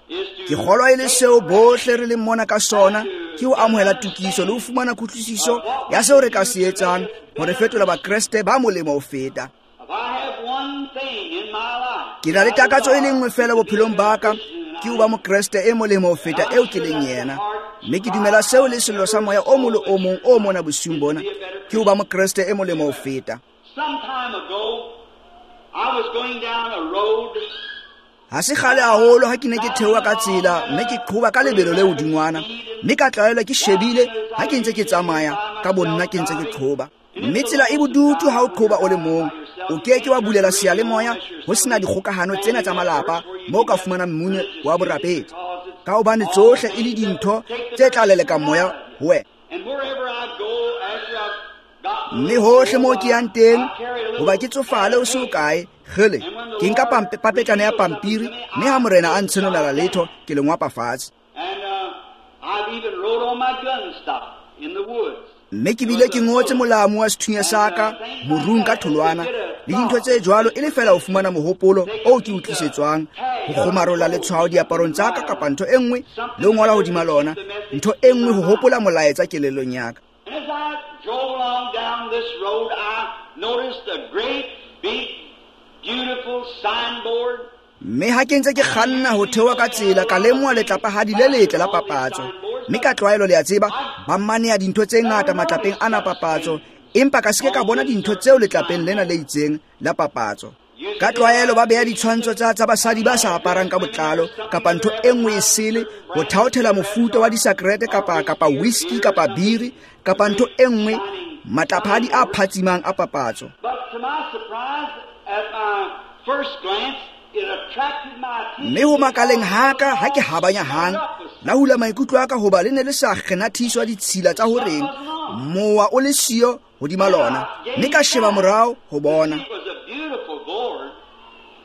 B: Is to
A: Ke kgolwa e le seo bohle re leng mona ka sona, ke ho amohela tokiso le ho fumana kutlwisiso ya seo re ka se etsang ho re fetola Bakreste ba molemo ho feta.
B: If I have one thing in my life,
A: Ke na le takatso e le nngwe feela bophelong ba ka, ke ho ba Mokreste e molemo ho feta eo ke leng yena. Mme ke dumela seo le sello sa moya o mong le o mong o mona bosiung bona, ke ho ba Mokreste e molemo ho feta.
B: Some time ago, I was going down a road.
A: Ha se kgale haholo ha ke ne ke theoha ka tsela, mme ke qhoba ka lebelo le hodingwana, mme ka tlwaelwa ke shebile ha ke ntse ke tsamaya ka bonna ke ntse ke qhoba. Mme tsela e bodutu ha o qhoba o le mong, o ke ke wa bulela seyalemoya ho sena dikgokahano tsena tsa malapa moo ka fumanang mmino wa borapedi, ka hobane tsohle e le dintho tse tla leleka moya ho wena. Mme hohle moo ke yang teng, hoba ke tsofale ho se hokae, kgele, ke nka papetlana ya pampiri, mme ha morena a ntshenolela letho, ke le ngwapa fatshe. Mme ke bile ke ngotse molamu wa sethunya sa ka morung ka tholwana le dintho tse jwalo, e le fela ho fumana mohopolo oo ke o tlisetswang, ho kgomarola letshwao diaparong tsa ka kapa ntho e nngwe, le ho ngola hodima lona ntho e nngwe ho hopola molaetsa kelellong ya ka.
B: As I drove along down this road, I noticed a great big beautiful signboard.
A: Mme ha ke ntse ke kganna ho theoha ka tsela, ka lemoha letlapahadi le letle la papatso. Mme ka tlwaelo le a tseba, ba maneha dintho tse ngata matlapeng ana papatso, empa ka se ke ka bona dintho tseo letlapeng lena le itseng la papatso. Ka tlwaelo ba beha ditshwantsho tsa tsa basadi ba sa aparang ka botlalo kapa ntho e nngwe e sele ho thaothela mofuta wa disakrete kapa kapa whisky kapa biri kapa ntho e nngwe, matlaphadi a phatsimang a papatso.
B: But to my surprise, at my first glance, it attracted my attention.
A: Mme ho makaleng haka ha ke habanya hang, la hula maikutlo a ka hoba le ne le sa kgenathiswa ditshila tsa horeng, mowa o le siyo hodima lona, mme ka sheba morao ho bona.
B: It was a beautiful board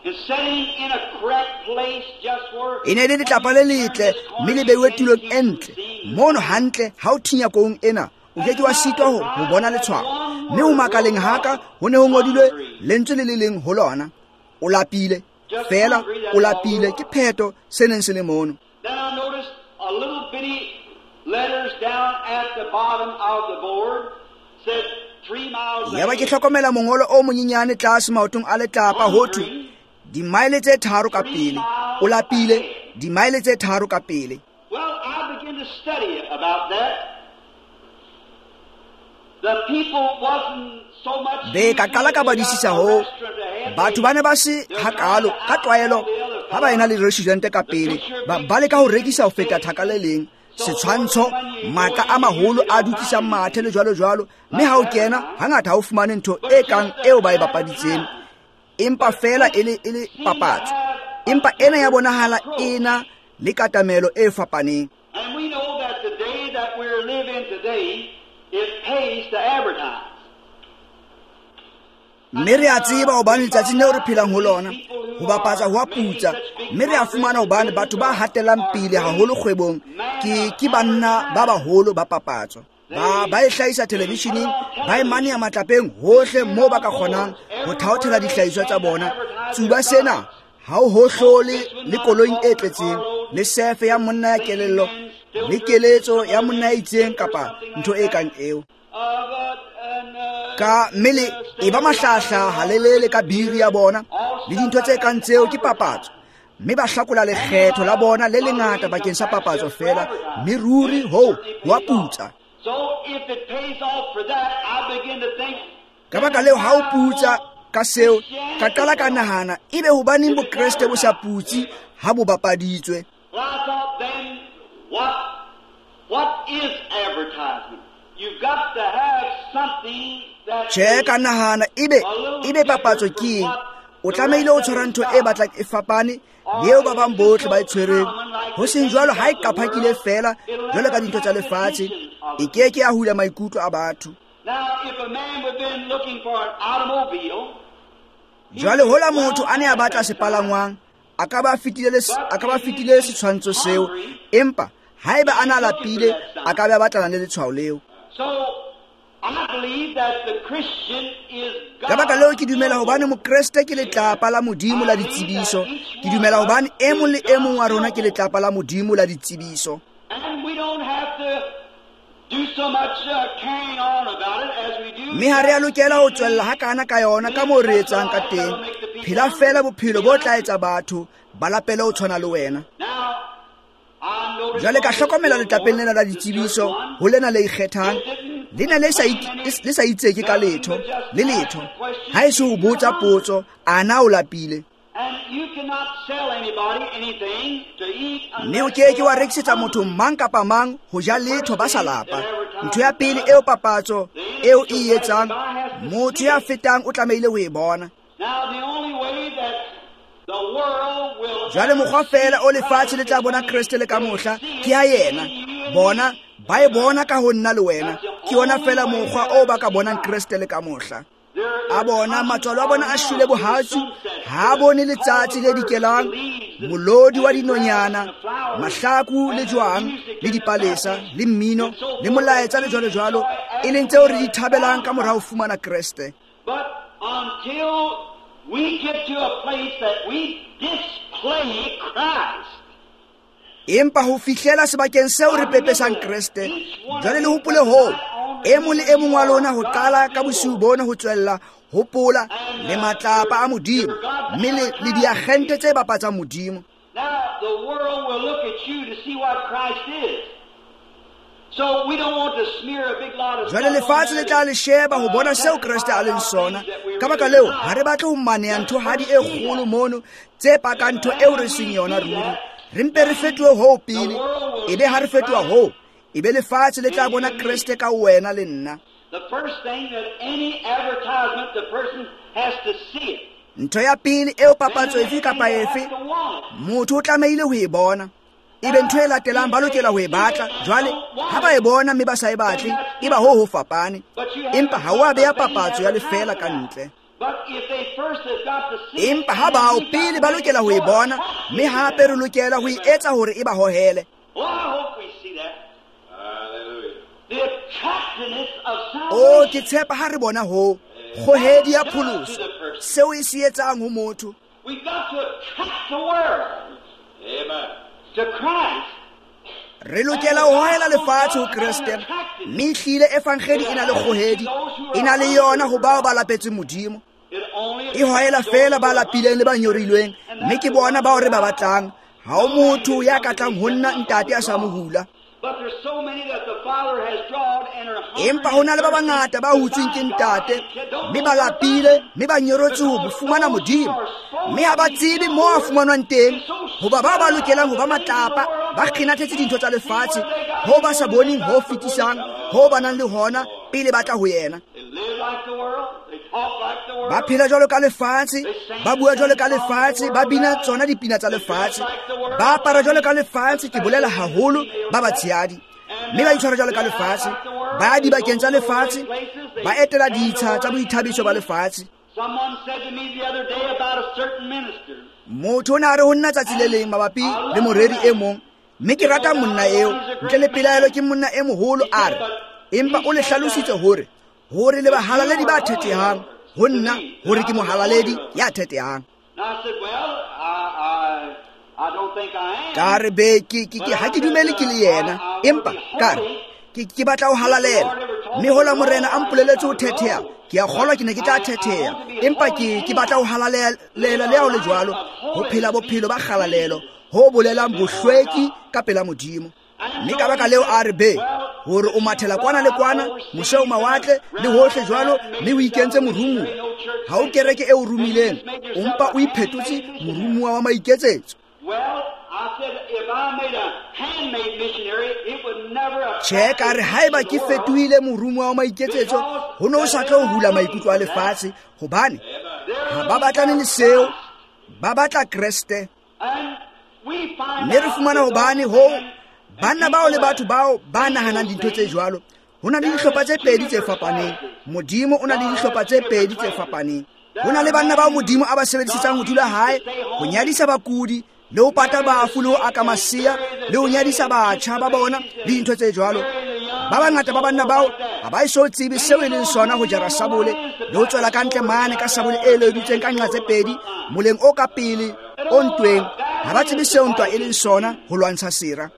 B: and sitting in a correct place just where
A: E ne le letlapa le letle, mme le beiwe tulong e ntle. Mono hantle ha o thinya koung ena, o ke ke wa sitwa ho, ho bona letshwao. Mme ho makaleng haka ho ne ho ngodilwe lentswe le le leng ho lona: o lapile, fela o lapile, ke pheto se neng se le mono.
B: Then I noticed a little bitty letters down at the bottom of the board said three miles
A: Yaba ke
B: ahead.
A: hlokomela mongolo o monyenyane tlase maotong a letlapa ho thwe dimaele tse tharo ka pele, o lapile, dimaele tse tharo ka pele.
B: Well, I began to study about that. The people wasn't so much
A: Be ka qala ka badisisa hoo. Batho ba ne ba se hakalo ka tlwaelo ha ba ena le restaurant ka pele, ba ba leka ho rekisa ho feta thaka le leng, setshwantsho, matla a maholo a dukisang mathe le jwalo jwalo, mme ha o kena hangata ha o fumane ntho e kang eo ba e bapaditseng, empa fela e le e le papatso. Empa ena ya bonahala ena le katamelo e fapaneng.
B: And we know that the day that we're living today, it pays to advertise.
A: Mme re a tseba hobane letsatsing leo re phelang ho lona, ho bapatsa ho a putsa, mme re a fumana hobane batho ba hatelang pele haholo kgwebong ke ke banna ba baholo ba papatso. Ba ba e hlahisa televisheneng, ba e maneha matlapeng hohle moo ba ka kgonang ho thaothela dihlahiswa tsa bona. Tsuba sena ha o hohlole le koloing e tletseng, le sefe ya monna ya kelello, le keletso ya monna ya itseng kapa ntho e kang eo. Ka mme le e ba mahlahla halelele ka biri ya bona le dintho tse kang tseo ke papatso, mme ba hlakola lekgetho la bona le lengata bakeng sa papatso fela, mme ruri hoo ho a putsa.
B: So if it pays off for that, I begin to think,
A: Ka baka leo ha o putsa ka seo, ka qala ka nahana, ebe hobaneng bokreste bo sa putse ha bo bapaditswe?
B: Well, I thought then, what, what is advertisement? You've got to have something that
A: Tjhe, ka nahana, ebe, ebe papatso ke eng? O tlamehile ho tshwara ntho e batlang e fapane le eo ba bang bohle ba e tshwereng. Ho seng jwalo ha e qaphakile feela jwalo ka dintho tsa lefatshe, e ke ke ya hula maikutlo a batho.
B: Now, if a man would been looking for an automobile,
A: Jwale hola motho a ne a batla sepalangwang, a ka ba fetile le, a ka ba fetile setshwantsho seo, empa haeba a na lapile, a ka be a batlana le letshwao leo.
B: So I believe that the Christian is
A: Ka baka leo ke dumela hobane mokreste ke letlapa la Modimo la ditsebiso. Ke dumela hobane e mong le e mong wa rona ke letlapa la Modimo la ditsebiso.
B: And we don't have to do so much uh, carrying on about it as we do.
A: Mme ha re a lokela ho tswella hakana ka yona ka moo re etsang ka teng. Phela fela bophelo bo tla etsa batho ba lapele ho tshwana le wena.
B: Now, I noticed
A: Jwale ka hlokomela letlapeng lena la ditsebiso ho lena le ikgethang, le ne le sa ik-, le sa itseke ka letho, le letho. Ha e se ho botsa potso, a na o lapile?
B: And you cannot sell anybody anything to eat
A: Mme o ke ke wa rekisetsa motho mang kapa mang ho ja letho ba sa lapa. Ntho ya pele eo papatso eo e etsang, motho ya fetang o tlamehile ho e bona.
B: Now, the only way that
A: Jwale mokgwa feela o lefatshe le tla bona Kreste le ka mohla ke ya yena. Bona ba e bona ka ho nna le wena. Ke yona feela mokgwa o ba ka bonang Kreste le ka mohla. A bona matswalo a bona a shwele bohatsu, ha bone letsatsi le dikelang, molodi wa dinonyana, mahlaku le jwang, le dipalesa, le mmino, le molaetsa le jwalo jwalo, e leng tseo re di thabelang ka mora ho fumana Kreste.
B: But until we get to a place that we display Christ.
A: Empa ho fihlela sebakeng seo re pepesang Kreste, jwale le hopole hoo, e mong le e mong wa lona ho qala ka bosiu bona ho tswella, hopola le matlapa a Modimo, mme le, le diagente tse bapatsang Modimo.
B: Now the world will look at you to see what Christ is. So we don't want to smear a big lot of
A: Jwale lefatshe le tla le sheba ho bona seo Kreste a leng sona. Ka baka leo, ha re batle ho maneha nthohadi e kgolo mono tse pakang ntho eo re seng yona ruri. Re mpe re fetohe hoo pele, ebe ha re fetoha hoo, ebe lefatshe le tla bona Kreste ka wena le nna.
B: The first thing that any advertisement, the person has to see it.
A: Ntho ya pele eo papatso efe kapa efe, motho o tlamehile ho e bona. Ebe ntho e latelang ba lokela ho e batla. Jwale ha ba e bona mme ba sa e batle, e ba ho ho fapane. Empa ha o a beha papatso ya lefeela ka ntle. Empa ha bao pele ba lokela ho e bona, mme hape re lokela ho e etsa hore e ba hohele. O ke tshepa ha re bona ho kgohedi ya pholoso, seo e se etsang ho motho. Re lokela ho hohela lefatshe ho Kreste, mme ehlile evangeli e na le kgohedi, e na le yona ho bao ba lapetseng Modimo. E hohela feela ba lapileng le ba nyorilweng, mme ke bona bao re ba batlang. Ha ho motho ya ka tlang ho nna ntate a sa mo hula. Empa ho na le ba bangata ba hutsweng ke ntate, mme ba lapile, mme ba nyoretswe ho fumana Modimo, mme ha ba tsebe moo a fumanwang teng, hoba bao ba lokelang ho ba matlapa ba kgenathetse dintho tsa lefatshe, hoo ba sa boneng ho fetisang ho ba nang le hona pele ba tla ho yena. Ba phela jwalo ka lefatshe, ba bua jwalo ka lefatshe, ba bina tsona dipina tsa lefatshe, ba apara jwalo ka lefatshe, ke bolela haholo ba batshehadi, mme ba itshwara jwalo ka lefatshe, ba ya dibakeng tsa lefatshe, ba etela ditsha tsa boithabiso ba lefatshe. Motho o ne a re ho nna tsatsi le leng mabapi le moreri e mong, mme ke rata monna eo, ntle le pelaelo ke monna e moholo, a re, empa o le hlalositse hore hore le bahalaledi ba thethehang ho nna, hore ke mohalaledi ya thethehang. Ka re be ke ke ke ha ke dumele ke le yena, empa ka re ke ke batla ho halalela, mme hola morena a mpoleletse ho thetheha, ke a kgolwa ke ne ke tla thetheha, empa ke ke batla ho halalela le ha ho le jwalo, ho phela bophelo ba kgalalelo, ho bolelang bohlweki ka pela Modimo. Mme ka baka leo a re be hore o mathela kwana le kwana, mose o mawatle le hohle jwalo, mme o ikentse morumuwa. Ha o kereke e o romileng, o mpa o iphetotse morumuwa wa maiketsetso. Tjhe, ka re haeba ke fetohile morumuwa wa maiketsetso, ho ne ho sa tlo hula maikutlo a lefatshe, hobane ha ba batlane le seo, ba batla Kreste. Mme re fumana hobane ho banna bao le batho bao ba nahanang dintho tse jwalo, ho na le dihlopha tse pedi tse fapaneng. Modimo o na le dihlopha tse pedi tse fapaneng. Ho na le banna bao Modimo a ba sebedisetsang ho dula hae, ho nyadisa bakudi, le ho pata bafu, le ho aka masea, le ho nyadisa batjha ba bona, le dintho tse jwalo. Ba bangata ba banna bao ha ba eso tsebe seo e leng sona ho jara sabole, le ho tswela ka ntle mane ka sabole e ledutseng ka nqa tse pedi, moleng o ka pele o ntweng. Ha ba tsebe seo ntwa e leng sona ho lwantsha sera.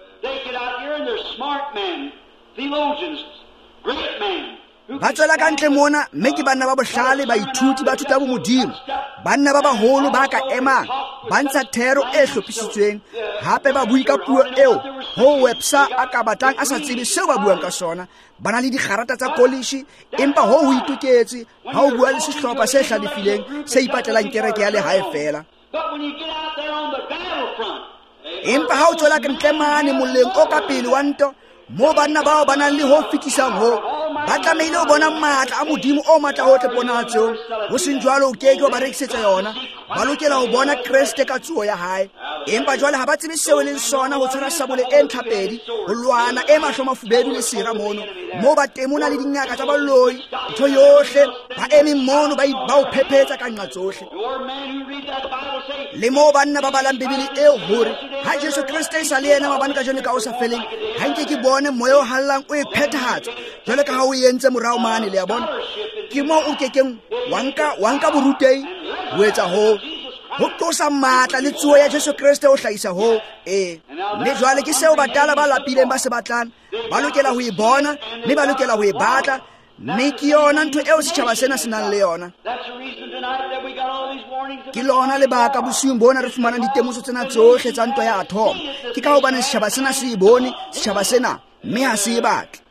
A: Ba tswela ka ntle mona, mme ke banna ba bohlale, baithuti ba thuta bomodimo, banna ba baholo ba ka emang, ba ntsha thero e hlophisitsweng, hape ba bue ka puo eo ho Webster a ka batlang a sa tsebe seo ba buang ka sona. Ba na le digarata tsa kolishi, empa ho ho itoketse ha o bua le sehlopha se hlalefileng se ipatlelang kereke ya lehae feela. Empa ha o tswela ka ntle mane moleng o ka pele wa ntwa, moo banna bao ba nang le ho fetisang ho, Ba tlamehile ho bona matla a Modimo o matla hohle ponahatsong. Ho seng jwalo o ke ke wa ba rekisetsa yona. Ba lokela ho bona Kreste ka tsoho ya hae. Empa jwale ha ba tsebe seo e leng sona ho tshwara sabole e ntlhapedi, ho lwana e mahlo mafubedu le sera mono. Moo ba temona le dingaka tsa baloi, ntho yohle, ba eme mono ba ba o phephetsa ka nqa tsohle. Le moo banna ba balang Bibele eo hore ha Jesu Kreste e sa le yena maobane kajeno ka o sa feleng, ha nke ke bone moya o hallang o e phethahatsa jwale ka ha o entse morao mane, le a bona. Ke moo o kekeng wa nka wa nka borutehi ho etsa hoo, ho tlosa matla le tsoho ya Jesu Kreste ho hlahisa hoo. Ee, mme jwale ke seo batala ba lapileng ba se batlang. Ba lokela ho e bona, mme ba lokela ho e batla, mme ke yona ntho eo setjhaba sena se nang le yona. Ke lona lebaka bosiung bona re fumanang ditemoso tsena tsohle tsa ntwa ya athomo. Ke ka hobane setjhaba sena se e bone, setjhaba sena, mme ha se e batle.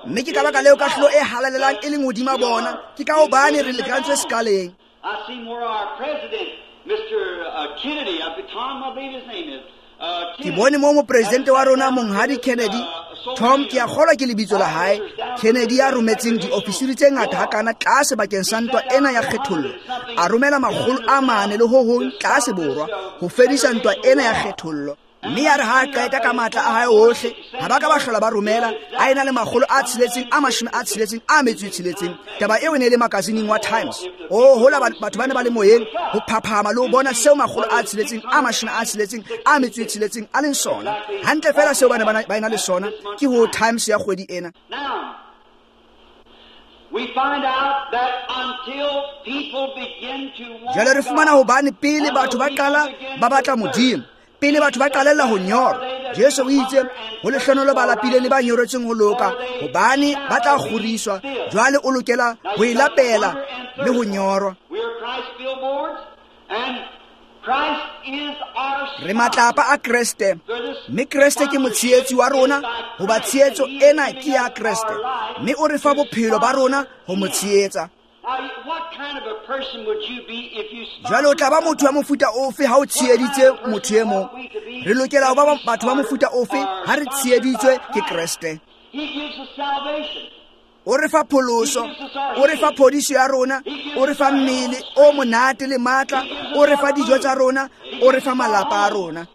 A: Mme ke ka baka leo kahlolo e halalelang e leng hodima bona. Ke ka hobane re lekantswe sekaleng. Ke bone moo mopresidente wa rona Monghadi Kennedy, Tom ke a kgolwa ke lebitso la hae, Kennedy ya rometseng diofisiri tse ngata hakana tlase bakeng sa ntwa ena ya kgethollo, a romela makgolo a mane le ho hong tlase borwa ho fedisa ntwa ena ya kgethollo. Mme ya re ha a qeta ka matla a hae ohle, ha ba ka ba hlola ba romela, a ena le makgolo a tsheletseng a mashome a tsheletseng a metso e tsheletseng. Taba eo e ne e le makasineng wa Times. Oh, hola batho ba ne ba le moyeng ho phaphama le ho bona seo makgolo a tsheletseng a mashome a tsheletseng a metso e tsheletseng a leng sona. Hantle fela seo ba ne ba ena le sona ke ho Times ya kgwedi ena. Jwale re fumana hobane pele batho ba qala ba batla Modimo, pele batho ba qalella ho nyora, Jesu o itse ho lehlonolo ba lapileng le ba nyoretseng ho loka, hobane ba tla kgoriswa. Jwale o lokela ho e lapela le ho nyorwa. Re matlapa a Kreste, mme Kreste ke motshehetsi wa rona, hoba tshehetso ena ke ya Kreste, mme o re fa bophelo ba rona ho mo tshehetsa. Jwale o tla ba motho wa mofuta ofe ha o tsheheditse motho e mong? Re lokela ho ba batho ba mofuta ofe ha re tsheheditswe ke Kreste? O re fa pholoso, o re fa phodiso ya rona, o re fa mmele o monate le matla, o re fa dijo tsa rona, o re fa malapa a rona.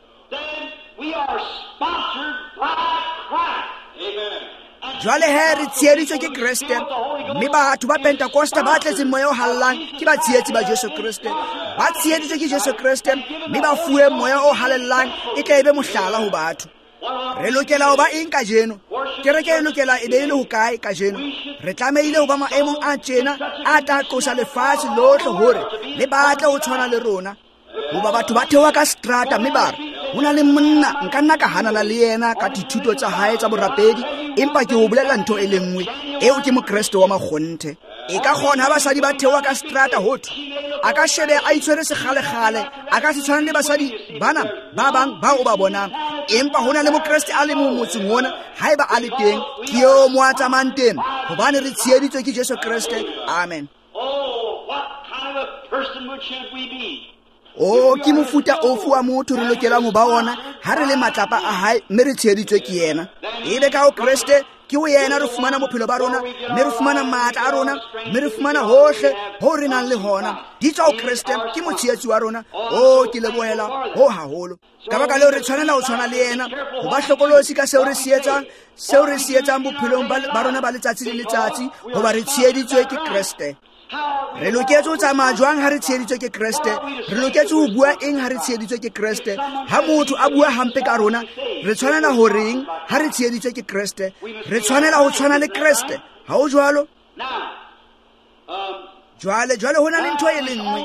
A: Jwale he re tsheheditswe ke Kreste, mme batho ba Pentecosta ba tletseng moya o hallang ke ba tshehetsi ba Jesu Kreste. Ba tsheheditswe ke Jesu Kreste, mme ba fuwe moya o halellang e tla ebe mohlala ho batho. Re lokela ho ba eng kajeno? Kereke e lokela e be e le hokae kajeno? Re tlamehile ho ba maemong a tjena a tla qosa lefatshe lohle hore le batle ho tshwana le rona. Hoba batho ba theoha ka seterata mme ba re, ho na le monna nka nna ka hanana le yena ka dithuto tsa hae tsa borapedi, empa ke ho bolela ntho e le nngwe, eo ke mokreste wa makgonthe. E ka kgona ha basadi ba theoha ka seterata ho thwe a ka shebe a itshwere sekgalekgale, a ka se tshwane le basadi bana ba bang bao o ba bonang, empa ho na le mokreste a le mong motseng ona, haeba a le teng, ke eo mo a tsamayang teng, hobane re tsheheditswe ke Jesu Kreste. Amen. O ke mofuta ofe wa motho re lokelang ho ba ona ha re le matlapa a hae mme re tsheheditswe ke yena? Ebe ka ho Kreste ke ho yena re fumana bophelo ba rona, mme re fumana matla a rona, mme re fumana hohle ho re nang le hona. Di tswa ho Kreste, ke motshehetsi wa rona. O ke lebohela ho haholo. Ka baka leo re tshwanela ho tshwana le yena, ho ba hlokolosi ka seo re se etsang, seo re se etsang bophelong ba rona ba letsatsi le letsatsi, hoba re tsheheditswe ke Kreste. Re loketse ho tsamaya jwang ha re tsheheditswe ke Kreste? Re loketse ho bua eng ha re tsheheditswe ke Kreste? Ha motho a bua hampe ka rona, re tshwanela ho reng ha re tsheheditswe ke Kreste? Re tshwanela ho tshwana le Kreste. Ha ho jwalo? Jwale, jwale ho na le ntho e le nngwe,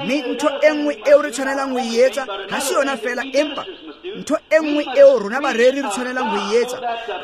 A: mme ntho e nngwe eo re tshwanelang ho e etsa ha se yona fela, empa ntho e nngwe eo rona bareri re tshwanelang ho e etsa,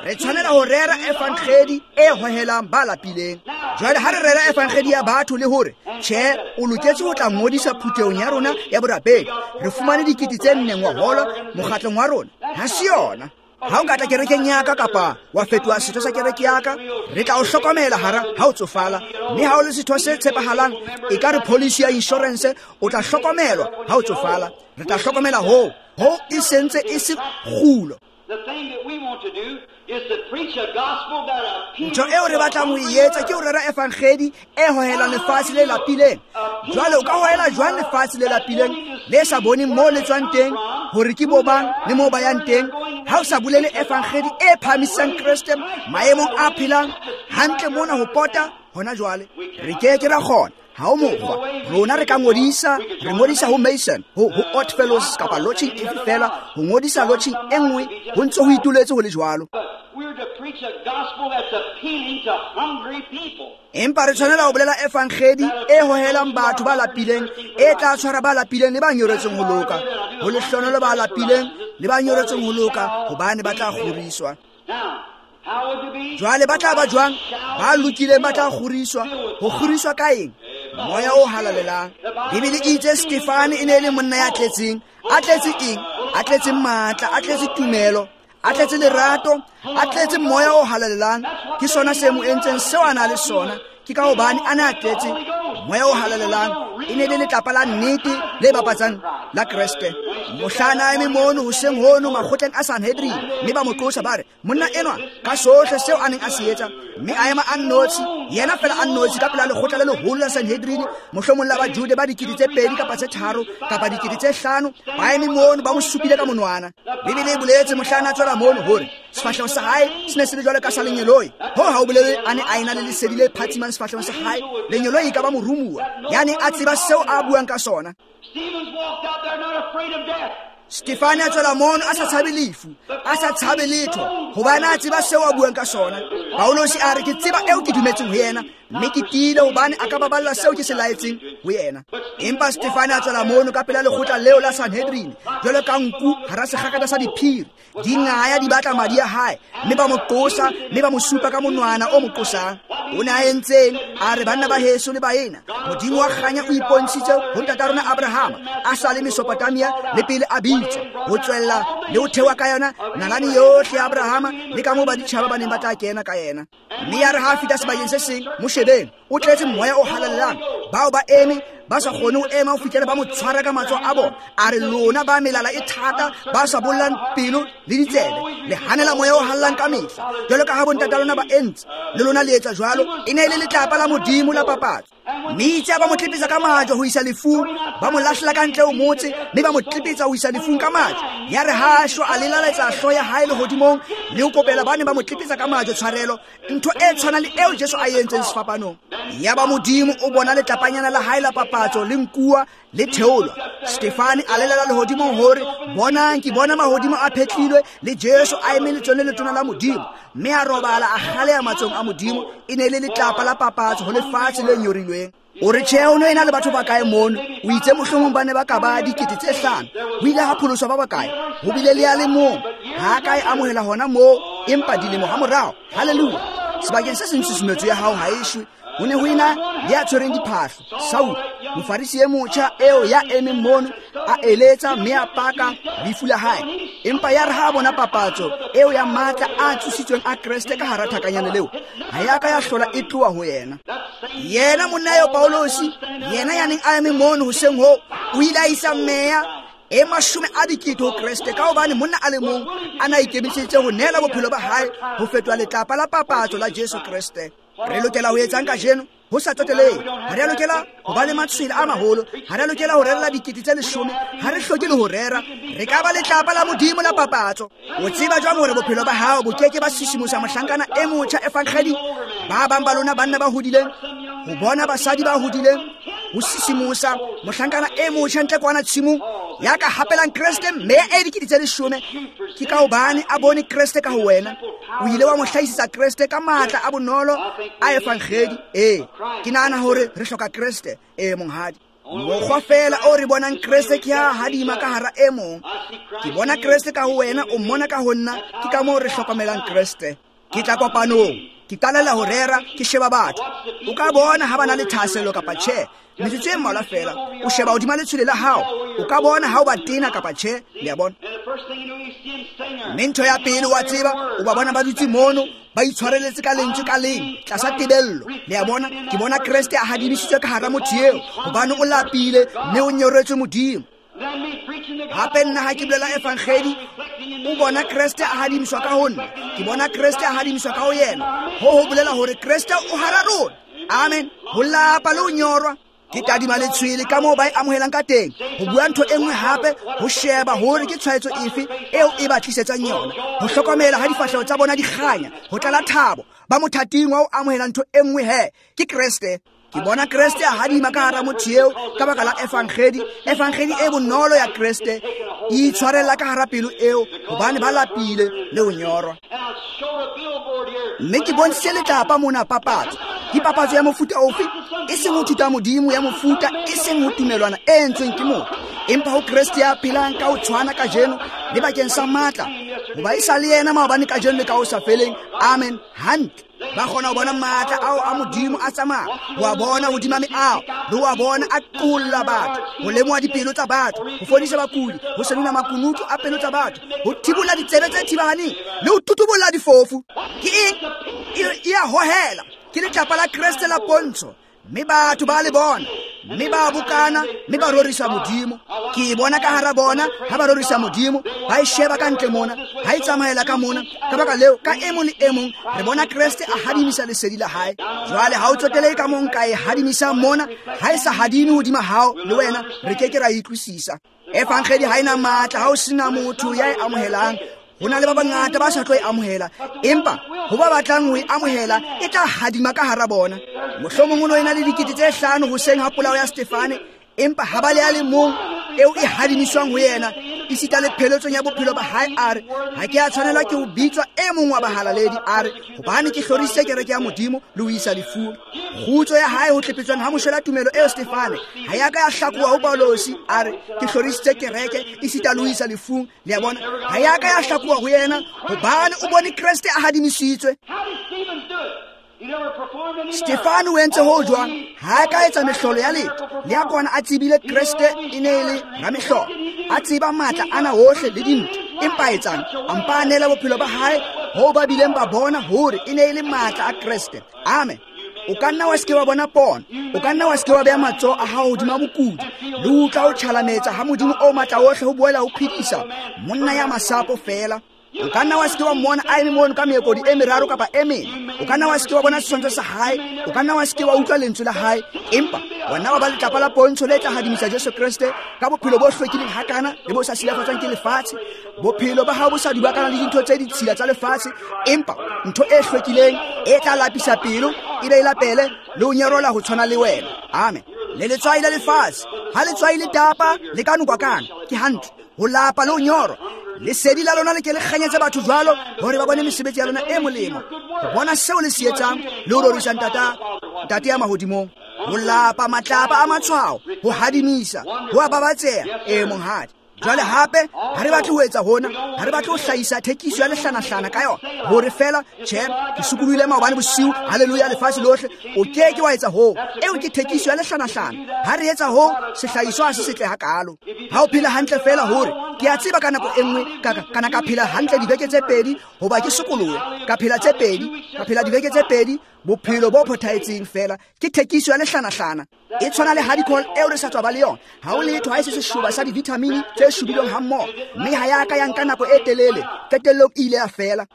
A: re tshwanela ho rera evangedi e hohelang ba lapileng. Jwale ha re rera evangedi ya batho le hore tjhe, o loketse ho tla ngodisa phuthehong ya rona ya borapedi, re fumane dikete tse nne ngwahola mokgatlong wa rona, ha se yona. Ha o ka tla kerekeng ya ka kapa wa fetoha setho sa kereke ya ka, re tla o hlokomela hara ha o tsofala, mme ha o le setho se tshepahalang, e ka re policy ya insurance, o tla hlokomelwa ha o tsofala. Re tla hlokomela hoo, hoo e sentse e se kgulo. Ntho eo re batlang ho e etsa ke ho rera evangedi e hohelang lefatshe le lapileng. Jwale o ka hohela jwang lefatshe le lapileng le sa boneng moo le tswang teng, hore ke bo bang le moo ba yang teng, ha o sa bolele evangedi e phahamisang Kreste maemong a phelang hantle mona ho pota hona jwale? Re ke ke ra kgona. Ha o mokgwa. Rona re ka ngodisa, re ngodisa ho Mason, ho ho Odd Fellows kapa lodging efe fela, ho ngodisa lodging e nngwe ho ntse ho ituletse ho le jwalo. Empa re tshwanela ho bolela evangedi e hohelang batho ba lapileng, e tla tshwara ba lapileng le ba nyoretseng ho loka. Ho lehlonolo ba lapileng le ba nyoretseng ho loka, hobane ba tla kgoriswa. Jwale ba tla ba jwang? Ba lokileng ba tla kgoriswa. Ho kgoriswa ka eng? Moya o halalelang. Bibele e itse Stefane e ne e le monna ya tletseng. A tletse eng? A tletse matla, a tletse tumelo, a tletse lerato, a tletse moya o halalelang. Ke sona se mo entseng seo a na le sona. Ke ka hobane a ne a tletse moya o halalelang. E ne le letlapa la nnete le bapatsang la Kreste. Mohla a eme mono hoseng hono makgotleng a Sanhedrin, mme ba mo qosa ba re, monna enwa ka sohle seo a neng a se etsa, mme a ema a nnotshi, yena fela a nnotshi ka pela lekgotla le leholo la Sanhedrin, mohlomong la Bajude ba dikete tse pedi kapa tse tharo kapa dikete tse hlano, ba eme mono ba mo supile ka monwana. Bibele e boletse mohla a tswela mono hore sefahleho sa hae se ne se le jwalo ka sa lengeloi. Ho ha o bolele a ne a ena le lesedi le phatsimang sefahlehong sa hae. Lengeloi e ka ba morumuwa, ya neng a tseba seo a buang ka sona. Stefane a tswela mono a sa tshabe lefu, a sa tshabe letho, hobane a tseba seo a buang ka sona. Paulosi a re, ke tseba eo ke dumetseng ho yena, mme ke tiile hobane a ka baballa seo ke se laetseng ho yena. Empa Stefane a tswela mono ka pela lekgotla leo la Sanhedrin, jwalo ka nku hara sekgakatha sa diphiri, di ngaya di batla madi a hae, mme ba mo qosa, mme ba mo supa ka monwana o mo qosang. O ne a entseng? A re, banna ba heso le baena, Modimo wa kganya o ipontshitse ho ntata rona Abrahama a sa le Mesopotamia le pele a bitswa, ho tswella le ho thewa ka yona nalane yohle ya Abrahama le ka moo baditjhaba ba neng ba tla kena ka yena. Mme ya re ha a fihla sebakeng se seng, mo shebeng, o tletse moya o halalelang. Bao ba eme ba sa kgone ho ema ho fihlela ba mo tshwara ka matsoho a bona. A re, lona ba melala e thata, ba sa bollang pelo le ditsebe, le hanela moya o hallang ka mehla, jwalo ka ha bontata lona ba entse, le lona le etsa jwalo. E ne e le letlapa la Modimo la papatso. Mme itse ba mo tlepetsa ka majwe ho isa lefung, ba mo lahlela ka ntle ho motse, mme ba mo tlepetsa ho isa lefung ka majwe. Ya re ha shwa, a lelaletsa hlooho ya hae lehodimong le ho kopela ba ne ba mo tlepetsa ka majwe tshwarelo, ntho e tshwanang le eo Jesu a entseng sefapanong. Ya ba Modimo o bona letlapanyana la hae la papatso le nkuwa le theolwa. Stefane a lelela lehodimong hore, bonang, ke bona mahodimo a phetlilwe le Jesu a eme letsweng le letona la Modimo. Mme a robala a kgaleha matsohong a Modimo. E ne le letlapa la papatso ho lefatshe le nyorilweng. O re, tjhe, o no ena le batho ba kae mono? O itse mohlomong ba ne ba ka ba dikete tse hlano. Ho ile ha pholoswa ba bakae? Ho bile le ya le mong ha ka e amohela hona moo, empa dilemo ha morao. Haleluya! Sebakeng se seng tshusumetso ya hao ha e shwe. Ho ne ho ena le ya tshwereng diphahlo, Saul, mofarisi e motjha eo ya emeng mono, a eletsa mme a paka lefu la hae. Empa ya re ha a bona papatso eo ya matla a tsositsweng a Kreste ka hara thakanyane leo, ha ya ka ya hlola e tloha ho yena. Yena monna eo Paulosi, yena ya neng a eme mono hoseng hoo, o ile a isa meya e mashome a dikete ho Kreste, ka hobane monna a le mong a na ikemiseditse ho neela bophelo ba hae ho fetoha letlapa la papatso la Jesu Kreste. Re lokela ho etsang kajeno? Ho sa tsotelehe, ha re a lokela ho ba le matshwele a maholo, ha re a lokela ho rerela dikete tse leshome, ha re hloke le ho rera. Re ka ba letlapa la Modimo la papatso. O tseba jwang hore bophelo ba hao bo ke ke ba sisimosa mohlankana e motjha evangedi? Ba bang ba lona banna ba hodileng, ho bona basadi ba hodileng, ho sisimosa mohlankana e motjha ntle kwana tshimong ya ka hapelang Kreste mme e dikete tse leshome. Ke ka hobane a bone Kreste ka ho wena. O ile wa mo hlahisetsa Kreste ka matla a bonolo a evangedi. Ee, ke nahana hore re hloka Kreste. Ee, monghadi. Mokgwa fela o re bonang Kreste ke ha hadima ka hara e mong. Ke bona Kreste ka ho wena, o mmona ka ho nna. Ke ka moo re hlokomelang Kreste. Ke tla kopanong, ke qalela ho rera, ke sheba batho. O ka bona ha ba na le thahasello kapa tjhe. Metsotso e mmalwa fela, o sheba hodima letshwele la hao, o ka bona ha o ba tena kapa tjhe. Le a bona? Mme ntho ya pele wa tseba, o ba bona ba dutse mono, ba itshwareletse ka lentswe ka leng tlasa tebello. Le a bona? Ke bona Kreste a hadimisitswe ka hara motho eo, hobane o lapile mme o nyoretswe Modimo. Hape nna ha ke bolela evangeli, o bona Kreste a hadimiswa ka ho nna, ke bona Kreste a hadimiswa ka ho yena. Ho ho bolela hore Kreste o hara rona. Amen. Ho lapa le ho nyorwa. Ke tadima letshwele ka moo ba e amohelang ka teng. Ho bua ntho e nngwe hape, ho sheba hore ke tshwaetso efe eo e ba tlisetsang yona. Ho hlokomela ha difahleho tsa bona di kganya, ho tlala thabo, ba mothating wa ho amohela ntho e nngwe he, ke Kreste. Ke bona Kreste a hadima ka hara motho eo ka baka la evangeli, evangeli e bonolo ya Kreste e itshwarella ka hara pelo eo, hobane ba lapile le ho nyorwa. Mme ke bontshitse letlapa mona papatso. Ke papatso ya mofuta ofe? E seng ho thuta Modimo ya mofuta, e seng ho tumelwana e entsweng ke motho, empa ho Kreste ya phelang ka ho tshwana kajeno le bakeng sa matla, hoba e sa le yena maobane, kajeno le ka ho sa feleng. Amen. Hantle. Ba kgona ho bona matla ao a Modimo a tsamaya, ho a bona hodima meaho, le ho a bona a qolla batho, ho lemoha dipelo tsa batho, ho fodisa bakudi, ho senola makunutu a pelo tsa batho, ho thibolla ditsebe tse thibahaneng, le ho tutubolla difofu. Ke eng? E a hohela. Ke letlapa la Kreste la pontsho, mme batho ba le bona, mme ba bokana, mme ba rorisa Modimo. Ke e bona ka hara bona ha ba rorisa Modimo, ba e sheba ka ntle mona, ha e tsamaela ka mona. Ka baka leo, ka e mong le e mong re bona Kreste a hadimisa lesedi la hae. Jwale ha o tsotelehe ka mong ka e hadimisang mona, ha e sa hadime hodima hao le wena, re ke ke ra e utlwisisa. Evangeli ha ena matla ha o sena motho ya e amohelang. Ho na le ba bangata ba sa tlo e amohela, empa ho ba batlang ho e amohela e tla hadima ka hara bona. Mohlomong o no ena le dikete tse hlano hoseng ha polao ya Stefane, empa ha ba le a le mong eo e hadimiswang ho yena, esita le pheletsong ya bophelo ba hae, a re, ha ke a tshwanelwa ke ho bitswa e mong wa bahalaledi, a re, hobane ke hlorisitse kereke ya Modimo le ho isa lefung. Kgutso ya hae ho tlepetswang ha moshwela tumelo eo Stefane ha ya ka ya hlakoha ho Paulosi, a re, ke hlorisitse kereke esita le ho isa lefung. Le a bona, ha ya ka ya hlakoha ho yena, hobane o bone Kreste a hadimisitswe. Stefano o entse ho jwang? Ha a ka etsa mehlolo ya letho. Le a kona a tsebile Kreste e ne e le ramehlolo, a tseba matla ana ohle le dintho, empa a etsang? A mpa a neela bophelo ba hae ho ba bileng ba bona hore e ne e le matla a Kreste. Amen. O ka nna wa se ke wa bona pono, o ka nna wa se ke wa beha matsoho a hao hodima mokudi, le utlwa ho tjhalametsa ha Modimo o matla ohle ho boela ho phedisa monna ya masapo feela. O ka nna wa se ke wa mmona a eme mono ka meekodi e meraro kapa e mene. O ka nna wa se ke wa bona setshwantsho sa hae, o ka nna wa se ke wa utlwa lentswe la hae, empa wena wa ba letlapa la pontsho le tla hadimisa Jesu Kreste ka bophelo bo hlwekileng hakana le bo sa silafatswang ke lefatshe. Bophelo ba hao bo sa dubakana le dintho tse ditshila tsa lefatshe, empa ntho e hlwekileng e tla lapisa pelo, e be e lapele le ho nyerola ho tshwana le wena. Amen. Le letswai la lefatshe, ha letswai le tapa le ka nokwa kana, ke hantle. Ho lapa le ho nyorwa. Lesedi la lona le ke le kganyetse batho jwalo, hore ba bone mesebetsi ya lona e molemo, ho bona seo le se etsang le ho rorisa Ntata, Ntate ya mahodimong. Ho lapa matlapa a matshwao, ho hadimisa, ho a babatseha. E monghadi. Jwale hape ha re batle ho etsa hona, ha re batle ho hlahisa thekiso ya lehlanahlana ka yona, hore fela tjhe ke sukulohile maobane bosiu, haleluya, lefatshe lohle. O ke ke wa etsa hoo. Eo ke thekiso ya lehlanahlana. Ha re etsa hoo, sehlahiswa ha se setle hakalo. Ha o phela hantle fela hore ke a tseba ka nako e nngwe ka kana ka phela hantle dibeke tse pedi, hoba ke sokolohe, ka phela tse pedi, ka phela dibeke tse pedi, bophelo bo phothaetseng fela. Ke thekiso ya lehlanahlana. E tshwana le hardcore eo re sa tswa ba le yona. Ha o letho ha e se seshoba sa di-vitamini tse shubilweng hammoho, mme ha ya ka ya nka nako e telele, qetellong e ile ya fela.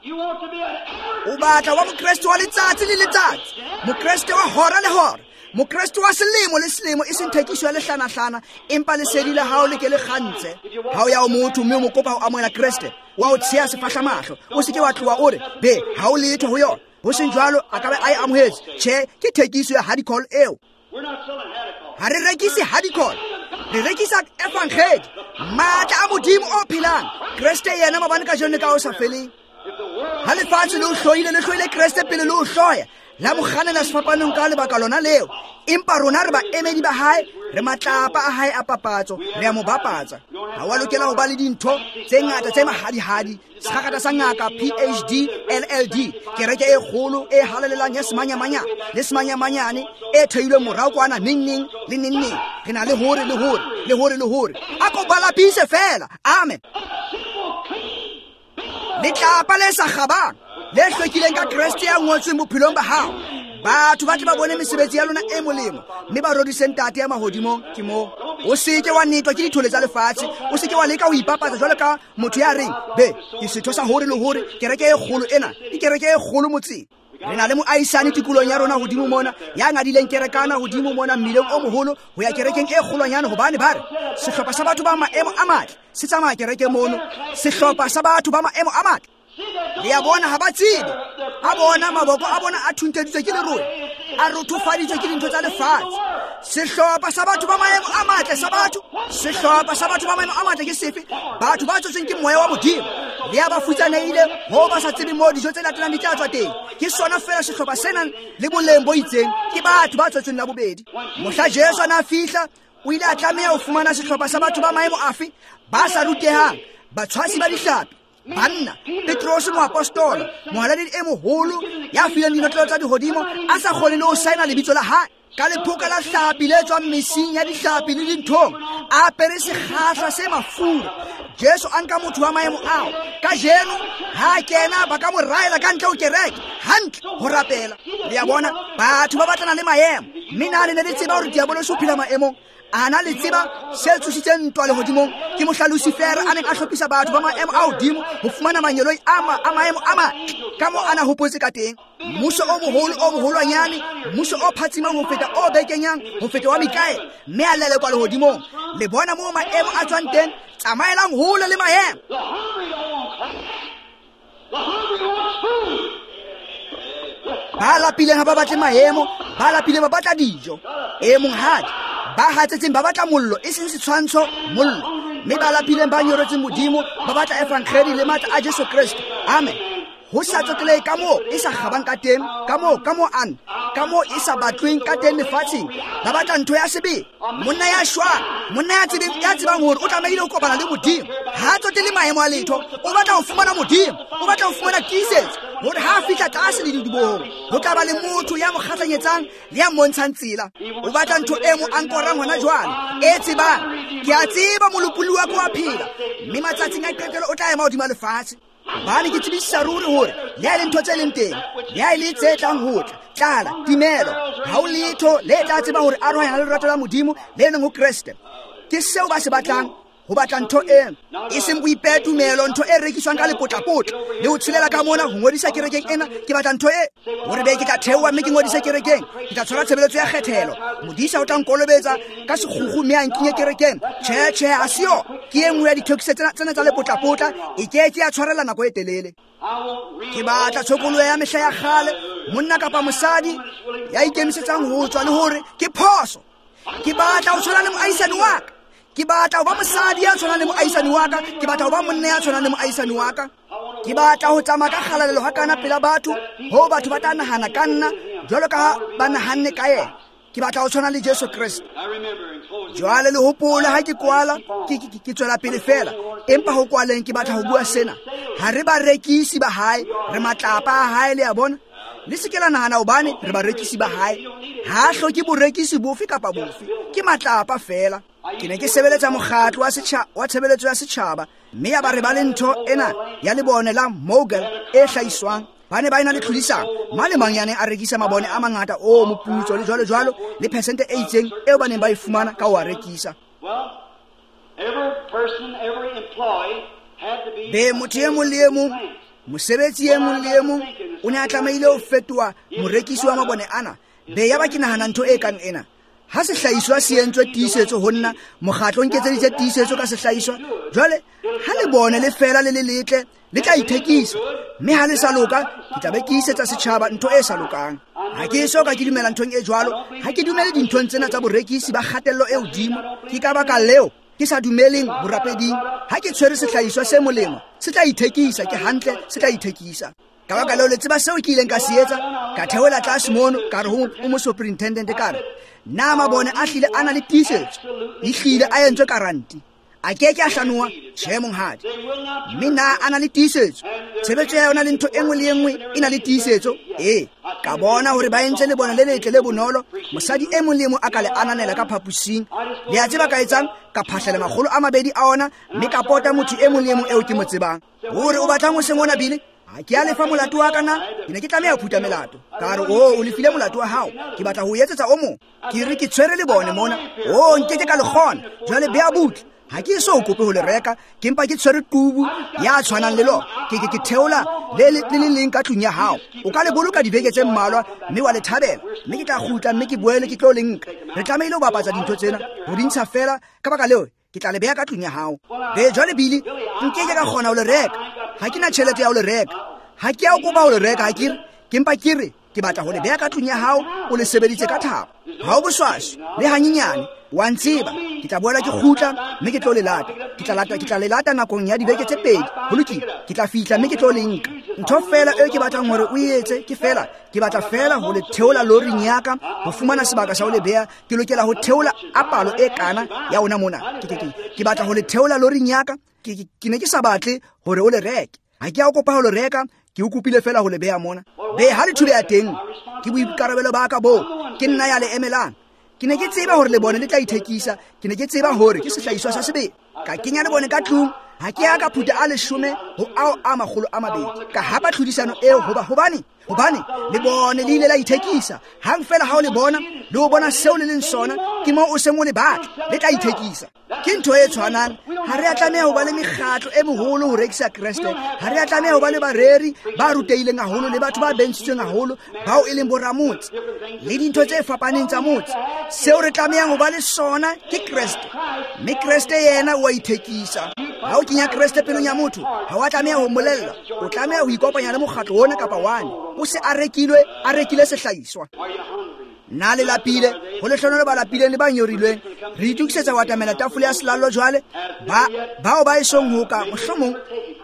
A: O batla wa Mokreste wa letsatsi le letsatsi, Mokreste wa hora le hora, Mokreste wa selemo le selemo, e seng thekiso ya lehlanahlana, empa lesedi la hao le ke le kgantse. Ha o ya ho motho mme o mo kopa ho amohela Kreste, wa o tsheha sefahlamahlo, o se ke wa tloha o re, be, ha o letho ho yona. Ho seng jwalo, a ka be a e amohetse. Tjhe, ke thekiso ya hardcore eo. Ha re rekise hardcore, re rekisa evangeli, matla a Modimo o phelang, Kreste yena maobane, kajeno ka ho sa feleng. Ha lefatshe le o hloile, le hloile Kreste pele le o hloya, la mo kganela sefapanong ka lebaka lona leo. Empa rona re baemedi ba hae, re matlapa a hae a papatso, re a mo bapatsa. Ha wa lokela ho ba le dintho tse ngata tse mahadihadi, sekgakgatha sa ngaka P H D L L D, kereke e kgolo e halalelang ya semanyamanya le semanyamanyane e theilweng morao kwana neng neng le neng neng. Re na le hore le hore le hore le hore. A ko balapise fela. Amen. Letlapa le sa kgabang, le hlwekileng ka Kreste ya ngotsweng bophelong ba hao. Batho ba tle ba bone mesebetsi ya lona e molemo, mme ba rorise Ntate ya mahodimong. Ke moo. O seke wa netwa ke dithole tsa lefatshe, o seke wa leka ho ipapatsa jwalo ka motho ya reng be ke setho sa hore le hore kereke e kgolo ena ke kereke e kgolo motseng. Re na le moahisane tikolong ya rona hodimo mona ya ngadileng kerekana hodimo mona mmileng o moholo ho ya kerekeng e kgolwanyane, hobane ba re sehlopha sa batho ba maemo a matle se tsamaya kereke mono. Sehlopha sa batho ba maemo a matle, le ya bona ha ba tsebe, a bona maboko a bona a thunteditswe ke lerole, a rothofaditswe ke dintho tsa lefatshe. Sehlopha sa batho ba maemo a matle sa batho, sehlopha sa batho ba maemo a matle ke sefe? Batho ba tsotsweng ke moya wa Modimo, le ya ba futsanehile ho ba sa tsebe moo dijo tse latelang di tla tswa teng. Ke sona fela sehlopha se nang le boleng bo itseng, ke batho ba tswetsweng la bobedi. Mohla Jesu a na fihla, o ile a tlameha ho fumana sehlopha sa batho ba maemo afe? Ba sa rutehang, batshwasi ba dihlapi, banna. Petrose moapostola, mohalaledi e moholo ya fileng dinotlolo tsa dihodimo, a sa kgone le ho saena lebitso la hae ka lephoka la hlapi le tswang mesing ya dihlapi le dinthong, a apere sekgahla se mafura. Jesu a nka motho wa maemo ao. Kajeno ha kena ba ka mo raela ka ntle ho kereke hantle ho rapela. Le ya bona, batho ba batlana le maemo, mme na le ne le tseba hore diabolosi o phela maemong? A na le tseba se tsositseng ntwa lehodimong? Ke mohla Lucifer a neng a hlophisa batho ba maemo a hodimo ho fumana mangeloi a a maemo a matle ka moo a na hopotse ka teng. Mmuso o moholo o moholwanyane, mmuso o phatsimang ho feta o bekenyang ho feta wa Mikaele, mme a lelekwa lehodimong. Le bona moo maemo a tswang teng? Tsamaelang hole le maemo. Ba lapileng ha ba batle maemo, ba lapileng ba batla dijo. E monghadi, ba hatsetseng ba batla mollo, e seng setshwantsho, mollo. Mme ba lapileng ba nyoretseng Modimo ba batla evangeli le matla a Jesu Kreste. Amen. Ho sa tsotelehe ka moo e sa kgabang ka teng, ka moo ka moo an ka moo e sa batlweng ka teng lefatsheng, ba batla ntho ya sebele. Monna ya shwang, monna ya tsebeng, ya tsebang hore o tlamehile ho kopana le Modimo, ha tsotele maemo a letho, o batla ho fumana Modimo, o batla ho fumana tiisetso hore ha a fihla tlase le didibohong ho tla ba le motho ya mo kgahlanyetsang le ya mmontshang tsela. O batla ntho e mo ankorang hona jwale, e tsebang ke a tseba molopolli wa ka wa phela, mme matsatsing a qetelo o tla ema hodima lefatshe. Hobane ke tsebisisa ruri hore le ha e le ntho tse leng teng, le ha e le tse tlang ho tla, tlala, timelo, ha ho letho le tla tseba hore arohanya le lerato la Modimo le leng ho Kreste. Ke seo ba se batlang, ho batla ntho eno, e seng boipetumelo, ntho e rekiswang ka lepotlapotla le ho tshelela ka mona ho ngodisa kerekeng ena. Ke batla ntho e hore be ke tla theoha mme ke ngodise kerekeng, ke tla tshwara tshebeletso ya kgethelo, modisa o tla nkolobetsa ka sekgukgu mme a nkinye kerekeng. Tjhe, tjhe, ha se yona. Ke e nngwe ya dithekiso tsena tsena tsa lepotlapotla, e ke ke ya tshwarela nako e telele. Ke batla tshokoloho ya mehla ya kgale, monna kapa mosadi ya ikemisetsang ho tswa le hore ke phoso. Ke batla ho tshwana le moahisani wa ka. Ke batla ho ba mosadi ya tshwanang le moahisani wa ka. Ke batla ho ba monna ya tshwanang le moahisani wa ka. Ke batla ho tsamaya ka kgalalelo ha kana pela batho, ho batho ba tla nahana ka nna jwalo ka ha ba nahanne ka yena. Ke batla ho tshwana le Jesu Kreste. Jwale le hopole ha ke kwala, ke ke ke tswela pele fela, empa ho kwaleng ke batla ho bua sena. Ha re barekisi ba hae, re matlapa a hae, le a bona. Le se ke la nahana hobane re barekisi ba hae. Ha hloke borekisi bofe kapa bofe, ke matlapa fela. Ke ne ke sebeletsa mokgatlo wa setjhaba wa tshebeletso ya setjhaba, mme ya ba re ba le ntho ena ya lebone la Mogul e hlahiswang. Ba ne ba ena le tlhodisano, mang le mang ya neng a rekisa mabone a mangata o moputso le jwalo jwalo, le percent e itseng eo ba neng ba e fumana ka ho a rekisa. Be motho e mong le e mong, mosebetsi e mong le e mong o ne a tlamehile ho fetoha morekisi wa mabone ana. Be ya ba ke nahana ntho e kang ena. Ha sehlahiswa se entswe tiisetso ho nna, mokgatlo o nketseditse tiisetso ka sehlahiswa. Jwale ha le bone le fela le le letle, le tla ithekisa, mme ha le sa loka, ke tla be ke isetsa setjhaba ntho e sa lokang. Ha ke so ka ke dumela nthong e jwalo, ha ke dumele dinthong tsena tsa borekisi ba kgatello e hodimo. Ke ka baka leo ke sa dumeleng borapeding. Ha ke tshwere sehlahiswa se molemo, se tla ithekisa, ke hantle, se tla ithekisa. Ka baka leo le tseba seo ke ileng ka se etsa, ka theohela tlase mono, ka re ho mo superintendent, ka re na mabone a hlile a na le tiisetso, e hlile a entswe karanti, a ke ke a hlanoha? Tjhe monghadi. Mme na a na le tiisetso? Tshebetso ya yona le ntho e nngwe le e nngwe e na le tiisetso. Ee, ka bona hore ba entse lebone le letle le bonolo, mosadi e mong le e mong a ka le ananela ka phaposing. Le a tseba ka etsang? Ka phahlela makgolo a mabedi a ona, mme ka pota motho e mong le e mong eo ke mo tsebang. Hore o batlang ho seng ona bile? Ha ke a lefa molato wa ka na, ke ne ke tlameha ho phutha melato. Ka re, "Oh, o lefile molato wa hao. Ke batla ho etsetsa o mong." Ke re ke tshwere le bone mona. Oh, nkeke ka le kgona. Jwale bea butle. Ha ke so kope ho le reka, ke mpa ke tshwere tubu ya tshwanang le lona. Ke ke ke theola le le le leng ka tlung ya hao. O ka le boloka dibeke tse mmalwa mme wa le thabela. Mme ke tla kgutla mme ke boele ke tlo le nka. Re tlamehile ho bapatsa dintho tsena, ho di ntsha fela. Ka baka leo, ke tla le beha ka tlung ya hao. Be jwale Billy, nkeke ka kgona ho le reka. Ha ke na tjhelete ya ho le reka. Ha ke a o kopa ho le reka, ha ke re, ke mpa ke re ke batla ho le beha ka tlung ya hao, o le sebeditse ka thabo. Ha o boswaswi le hanyenyane, wa ntseba. Ke tla boela ke kgutla mme ke tlo le lata. Ke tla lata, ke tla le lata nakong ya dibeke tse pedi. Ho lokile. Ke tla fihla mme ke tlo le nka. Ntho fela eo ke batlang hore o etse ke fela, ke batla fela ho le theola loring ya ka, ho fumana sebaka sa ho le beha. Ke lokela ho theola a palo e kana ya ona mona. Ke ke ke ke batla ho le theola loring ya ka. Ke ke ke ne ke sa batle hore o le reke. Ha ke a o kopa ho le reka, ke o kopile fela ho le beha mona. Be ha le thubeha teng, ke boikarabelo ba ka bo. Ke nna ya le emelang. Ke ne ke tseba hore le bone le tla ithekisa. Ke ne ke tseba hore ke sehlahiswa sa sebele. Ka kenya le bone ka tlung. Ha ke ya ka phutha a leshome ho ao a makgolo a mabedi. Ka hapa tlhodisano eo hoba hobane hobane le bone le ile la ithekisa. Hang fela ha o le bona, le o bona seo le leng sona, ke moo o seng o le batla, le tla ithekisa. Ke ntho e tshwanang. Ha re a tlameha ho ba le mekgatlo e meholo ho rekisa Kreste. Ha re a tlameha ho ba le bareri ba rutehileng haholo le batho ba bentshitsweng haholo bao e leng boramotse le dintho tse fapaneng tsa motse. Seo re tlamehang ho ba le sona ke Kreste. Mme Kreste yena o a ithekisa. Ha o kenya Kreste pelong ya motho, ha wa tlameha ho mmolella. O tlameha ho ikopanya le mokgatlo ona kapa wane. O se a rekilwe, a rekile sehlahiswa. Na le lapile, ho lehlohonolo ba lapileng le ba nyorilweng. Re itokisetsa ho atamela tafole ya selallo jwale. Ba bao ba esong ho ka mohlomong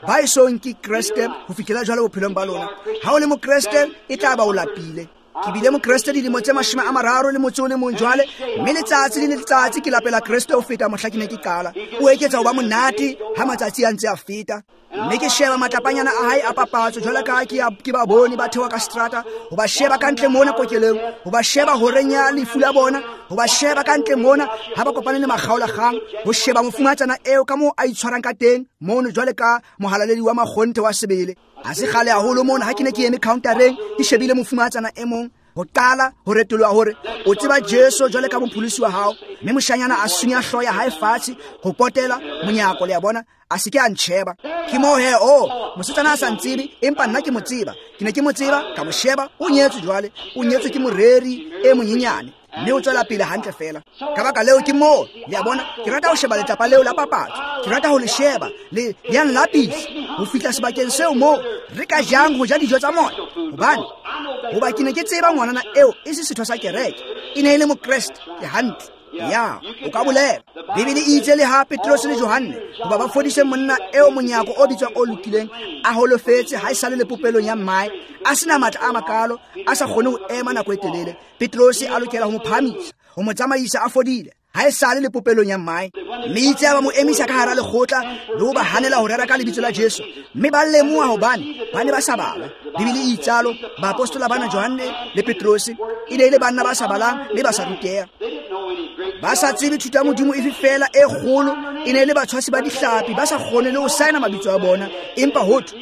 A: ba esong ke Kreste ho fihlela jwale bophelong ba lona. Ha o le mokreste, e tla ba o lapile. Ke bile mokreste dilemo tse mashome a mararo le motso o le mong jwale, mme letsatsi le letsatsi ke lapela Kreste ho feta mohla ke ne ke qala. O eketsa ho ba monate ha matsatsi a ntse a feta. Mme ke sheba matlapanyana a hae a papatso jwale ka ke ke ba bone ba theoha ka strata, ho ba sheba ka ntle mona kokelong, ho ba sheba horeng ya lefu la bona, ho ba sheba ka ntle mona ha ba kopane le makgaolakgang, ho sheba mofumatsana eo ka moo a itshwarang ka teng mono jwale ka mohalaledi wa makgonthe wa sebele. Ha se kgale haholo mona ha ke ne ke eme countereng ke shebile mofumatsana e mong ho qala ho retoloha hore o tseba Jesu jwale ka mopholosi wa hao, mme moshanyana a sunya hlooho ya hae fatshe ho potela monyako, le a bona, a se ke a ntjheba. Ke moo he, oh, mosetsana a sa ntsebe, empa nna ke mo tseba. Ke ne ke mo tseba, ka mo sheba, o nyetswe jwale, o nyetswe ke moreri e monyenyane, mme o tswela pele hantle fela. Ka baka leo ke moo, le a bona, ke rata ho sheba letlapa leo la papatso. Ke rata ho le sheba, le le a nlapisa ho fihla sebakeng seo moo re ka jang ho ja dijo tsa moya. Hobane hoba ke ne ke tseba ngwanana eo e se setho sa kereke, e ne e le mokreste. Ke hantle. Ya, o ka bolela. Bibele e itse le ha Petrose le Johanne hoba ba fodise monna eo monyako o bitswang o lokileng, a holofetse ha e sale le popelong ya mmae, a sena matla a makalo, a sa kgone ho ema nako e telele. Petrose a lokela ho mo phahamisa, ho mo tsamaisa a fodile, ha e sale le popelong ya mmae. Mme itse ba mo emisa ka hara lekgotla le ho ba hanela ho rera ka lebitso la Jesu, mme ba lemoha hobane ba ne ba sa bala. Bibele e itsalo, baapostola bana Johanne le Petrose e ne e le banna ba sa balang mme ba sa ruteha, ba sa tsebe thuto ya Modimo efe fela e kgolo. E ne e le batshwasi ba dihlapi, ba sa kgone le ho saena mabitso a bona, empa ho thwe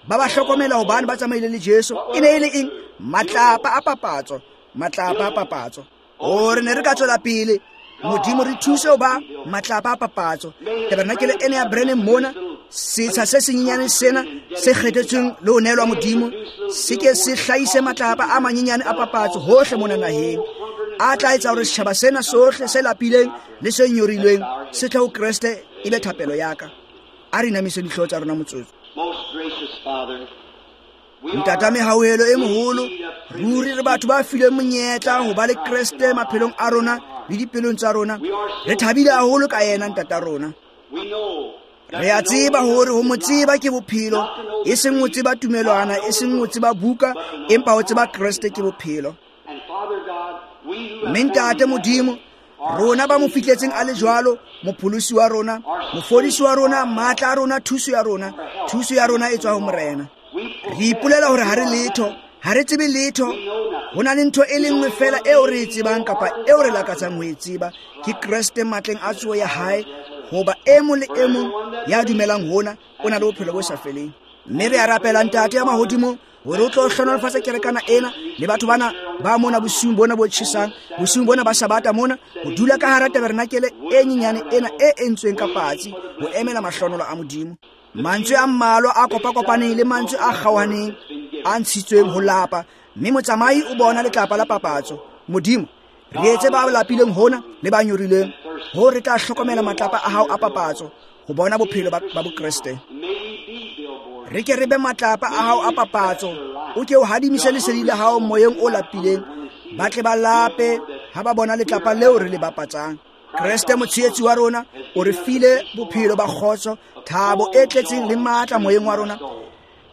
A: ba ba hlokomela hobane ba tsamaile le Jesu. E ne e le eng? Matlapa a papatso, matlapa a papatso. O re ne re ka tswela pele. Modimo re thuse ho ba matlapa a papatso. Tabernakele ena ya Branham mona, setsha se senyenyane sena se kgethetsweng le ho neelwa Modimo, se ke se hlahise matlapa a manyenyane a papatso hohle mona naheng, a tla etsa hore setjhaba sena sohle se lapileng le se nyorilweng se tle ho Kreste. E be thapelo ya ka. A re inamise dihlooho tsa rona motsotso. Ntata mehauhelo e moholo, ruri re batho ba filweng monyetla ho ba le Kreste maphelong a rona le dipelong tsa rona. Re thabile haholo ka yena ntata rona. Re a tseba hore ho mo tseba ke bophelo, e seng ho tseba tumelwana, e seng ho tseba buka, empa ho tseba Kreste ke bophelo. Mme ntate Modimo, rona ba mo fihletseng a le jwalo, mopholosi wa rona, mofodisi wa rona, matla a rona, thuso ya rona, thuso ya rona e tswa ho Morena. Re ipolela hore ha re letho, ha re tsebe letho. Ho na le ntho e le nngwe fela eo re e tsebang kapa eo re lakatsang ho e tseba, ke Kreste matleng a tsoho ya hae, hoba e mong le e mong ya dumelang hona o na le bophelo bo sa feleng. Mme re a rapela Ntate ya mahodimong hore o tlo hlohonolofatsa kerekana ena le batho bana ba mona bosiung bona bo tjhesang, bosiung bona ba Sabata mona, ho dula ka hara tabernakele e nyenyane ena e entsweng ka patsi ho emela mahlonolo a Modimo. Mantswe a mmalwa a kopakopaneng le mantswe a kgaohaneng a ntshitsweng ho lapa, mme motsamai o bona letlapa la papatso. Modimo, re etse ba lapileng hona le ba nyorileng, ho re tla hlokomela matlapa a hao a papatso ho bona bophelo ba, ba Bokreste. Re ke re be matlapa a hao a papatso, o ke o hadimise lesedi la hao moyeng o lapileng, ba tle ba lape ha ba bona letlapa leo re le bapatsang. Kreste motshehetsi wa rona o re file bophelo ba kgotso, thabo e tletseng le matla moyeng wa rona,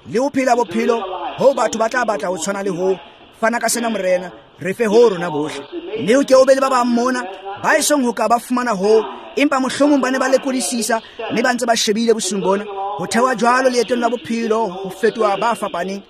A: le ho phela bophelo ho batho ba tla batla ho tshwana le ho. Fana ka sena Morena, re fe ho rona bohle. Mme o ke o be le ba bang mona ba esong ho ka ba fumana ho, empa mohlomong ba ne ba lekodisisa mme ba ntse ba shebile bosiung bona ho thewa jwalo leetong la bophelo, ho fetoha ba fapaneng,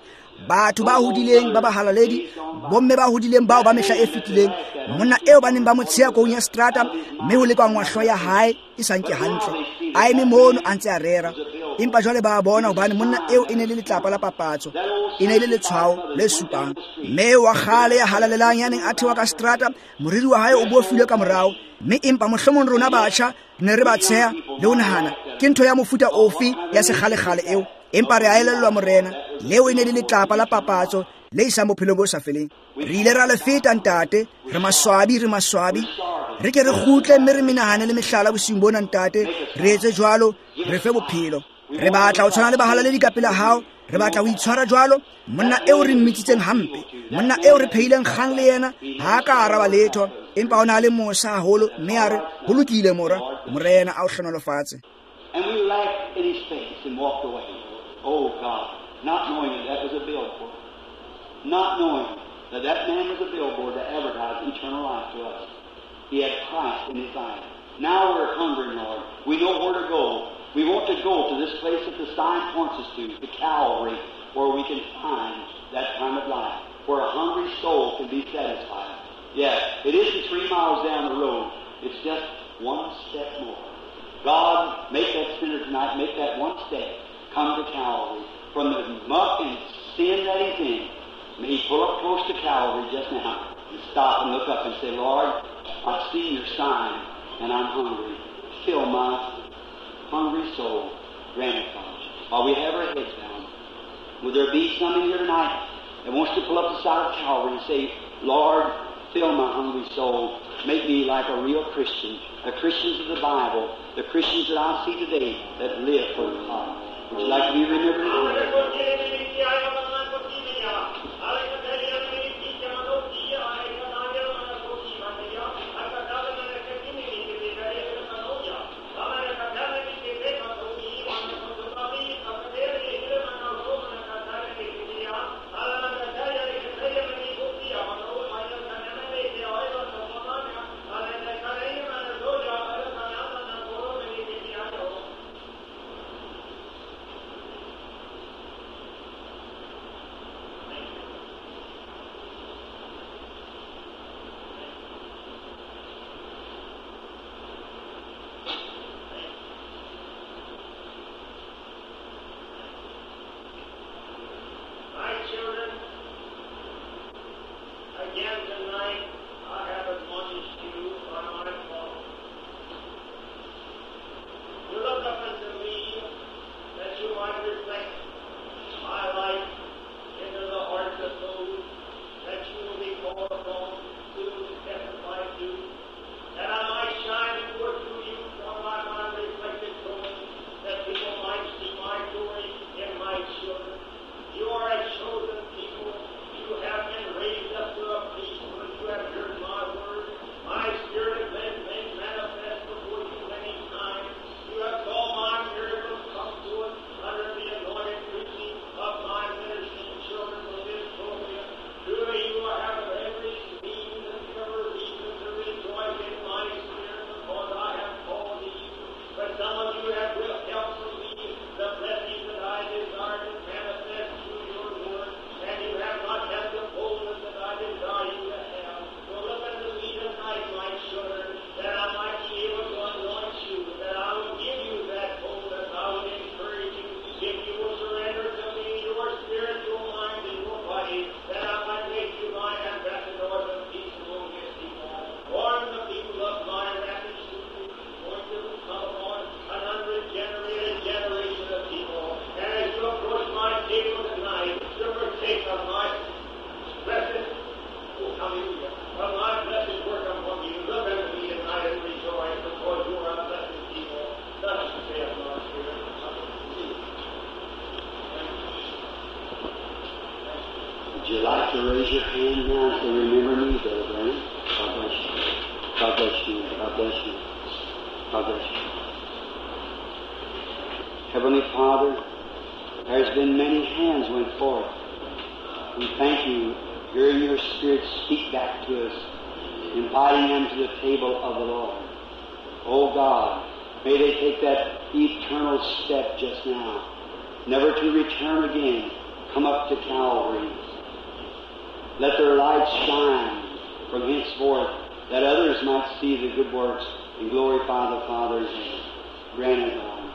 A: batho ba hodileng ba bahalaledi, bomme ba hodileng bao ba mehla e fetileng, monna eo ba neng ba mo tsheha koung ya strata, mme ho lekangwa hlooho ya hae e sa nke hantle, a eme mono a ntse a rera. Empa jwale ba bona hobane monna eo e ne le letlapa la papatso, e ne le letshwao le supang. Mme wa kgale ya halalelang ya neng a thewa ka strata, moriri wa hae o bofilwe ka morao, mme empa mohlomong rona batjha ne re ba tsheha le ho nahana ke ntho ya mofuta ofe ya sekgalekgale eo. Empa re a elellwa Morena, leo e ne le letlapa la papatso le isang bophelong bo sa feleng. Re ile ra le feta Ntate, re maswabi, re maswabi. Re ke re kgutle mme re menahane le mehlala bosiung bona Ntate, re etse jwalo, re fe bophelo. Re batla ho tshwana le bahalaledi ka pela hao, re batla ho itshwara jwalo. Monna eo re mmitsitseng hampe, monna eo re phehileng kgang le yena, ha a ka araba letho, empa o na le mosa haholo, mme a re, ho lokile mora, Morena a o hlohonolofatse.
B: And we laughed in his face and walked away. Oh God, not knowing that that was a billboard. Not knowing that that man was a billboard to advertise eternal life to us. He had Christ in his life. Now we're hungry, Lord. We know where to go. We want to go to this place that the sign points us to, the Calvary, where we can find that kind of life, where a hungry soul can be satisfied. Yes, it isn't three miles down the road. It's just one step more. God, make that sinner tonight, make that one step, come to Calvary. From the muck and sin that he's in, may he pull up close to Calvary just now and stop and look up and say, Lord, I've seen your sign and I'm hungry. Fill my hungry soul. Grant it, Father. While we have our heads down, would there be some in here tonight that wants to pull up the side of Calvary and say, Lord, fill my hungry soul. Make me like a real Christian, the Christians of the Bible, the Christians that I see today that live for God. Would you like to be remembered in prayer? to raise your hand now and say, remember me, Brother Branham. God bless you. God bless you. God bless you. God bless you. Heavenly Father, there's been many hands went forth. We thank you, hearing your Spirit speak back to us, inviting them to the table of the Lord. Oh God, may they take that eternal step just now, never to return again. Come up to Calvary. Let their light shine from henceforth, that others might see the good works and glorify the Father in heaven. Grant it, Lord.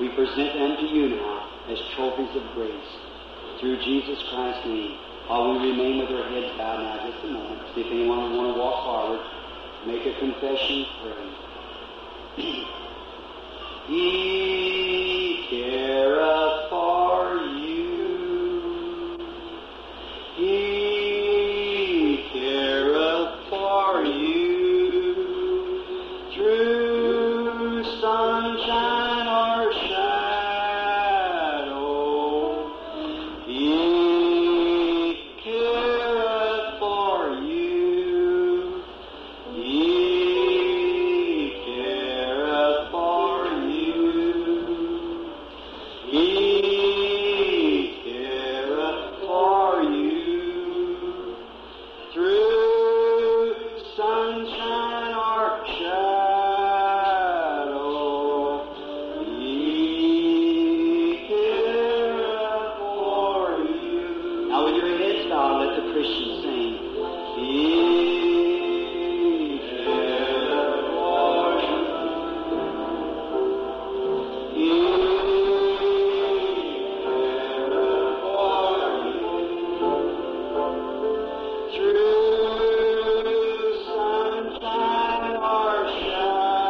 B: We present them to you now as trophies of grace. Through Jesus Christ's name, while we remain with our heads bowed now just a moment, see if anyone would want to walk forward, make a confession, pray. He careth for you. He careth for you. Through sunshine or shadow, He careth for you. He careth for you. He careth for you. Through sunshine or shadow, He careth for you. Now with your heads bowed, let the Christian sing. He careth for you. He careth for you. Through sunshine or shadow,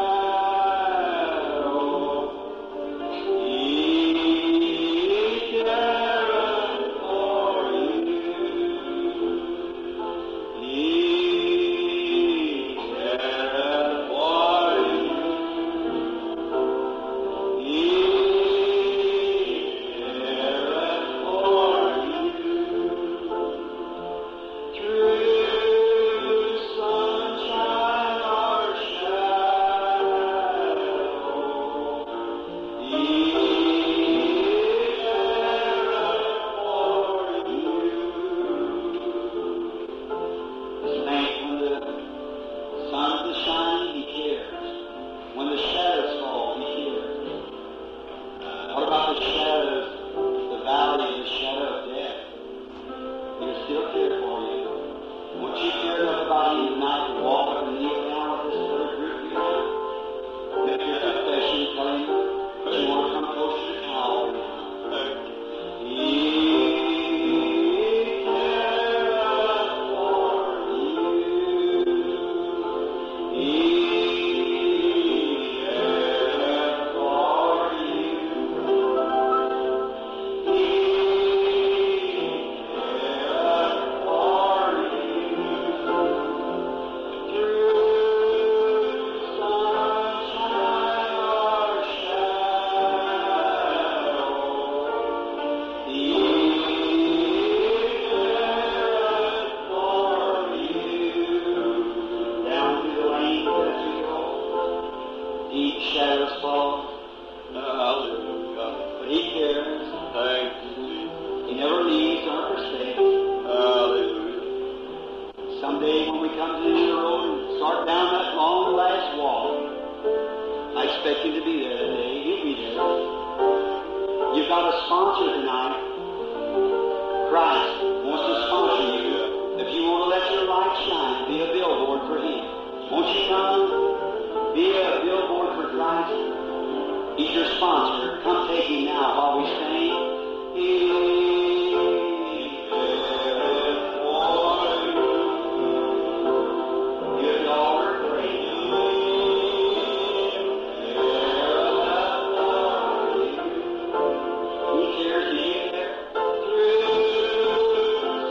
B: He careth for you. He careth for you. He careth for you. Through sunshine or shadow, He careth for you. Thank when the sun is shining, He cares. When the shadows fall, He cares. What about the shadows, the valley of the shadow of death? He'll still care for you. Won't you care enough about Him tonight to walk up and kneel down with this other group here? Make your confession, tell Him that you want to come closer to Calvary. He careth for you. He careth for you. He careth for you. Through sunshine or shadow, He careth for you. Down through the lane as we go, deep shadows fall,
C: Hallelujah.
B: but He cares.
C: Thank you, Jesus.
B: He never leaves nor forsakes.
C: Hallelujah.
B: Someday when we come to the end of the road and start down that long last walk, I expect Him to be there that day. He'll be there. You've got a sponsor tonight. Christ wants to sponsor you. If you want to let your light shine, be a billboard for Him. Won't you come? Be a billboard for Christ. He's your sponsor. Come take Him now while we sing. He careth for you. Give the altar praise. He cares. Do you care? Through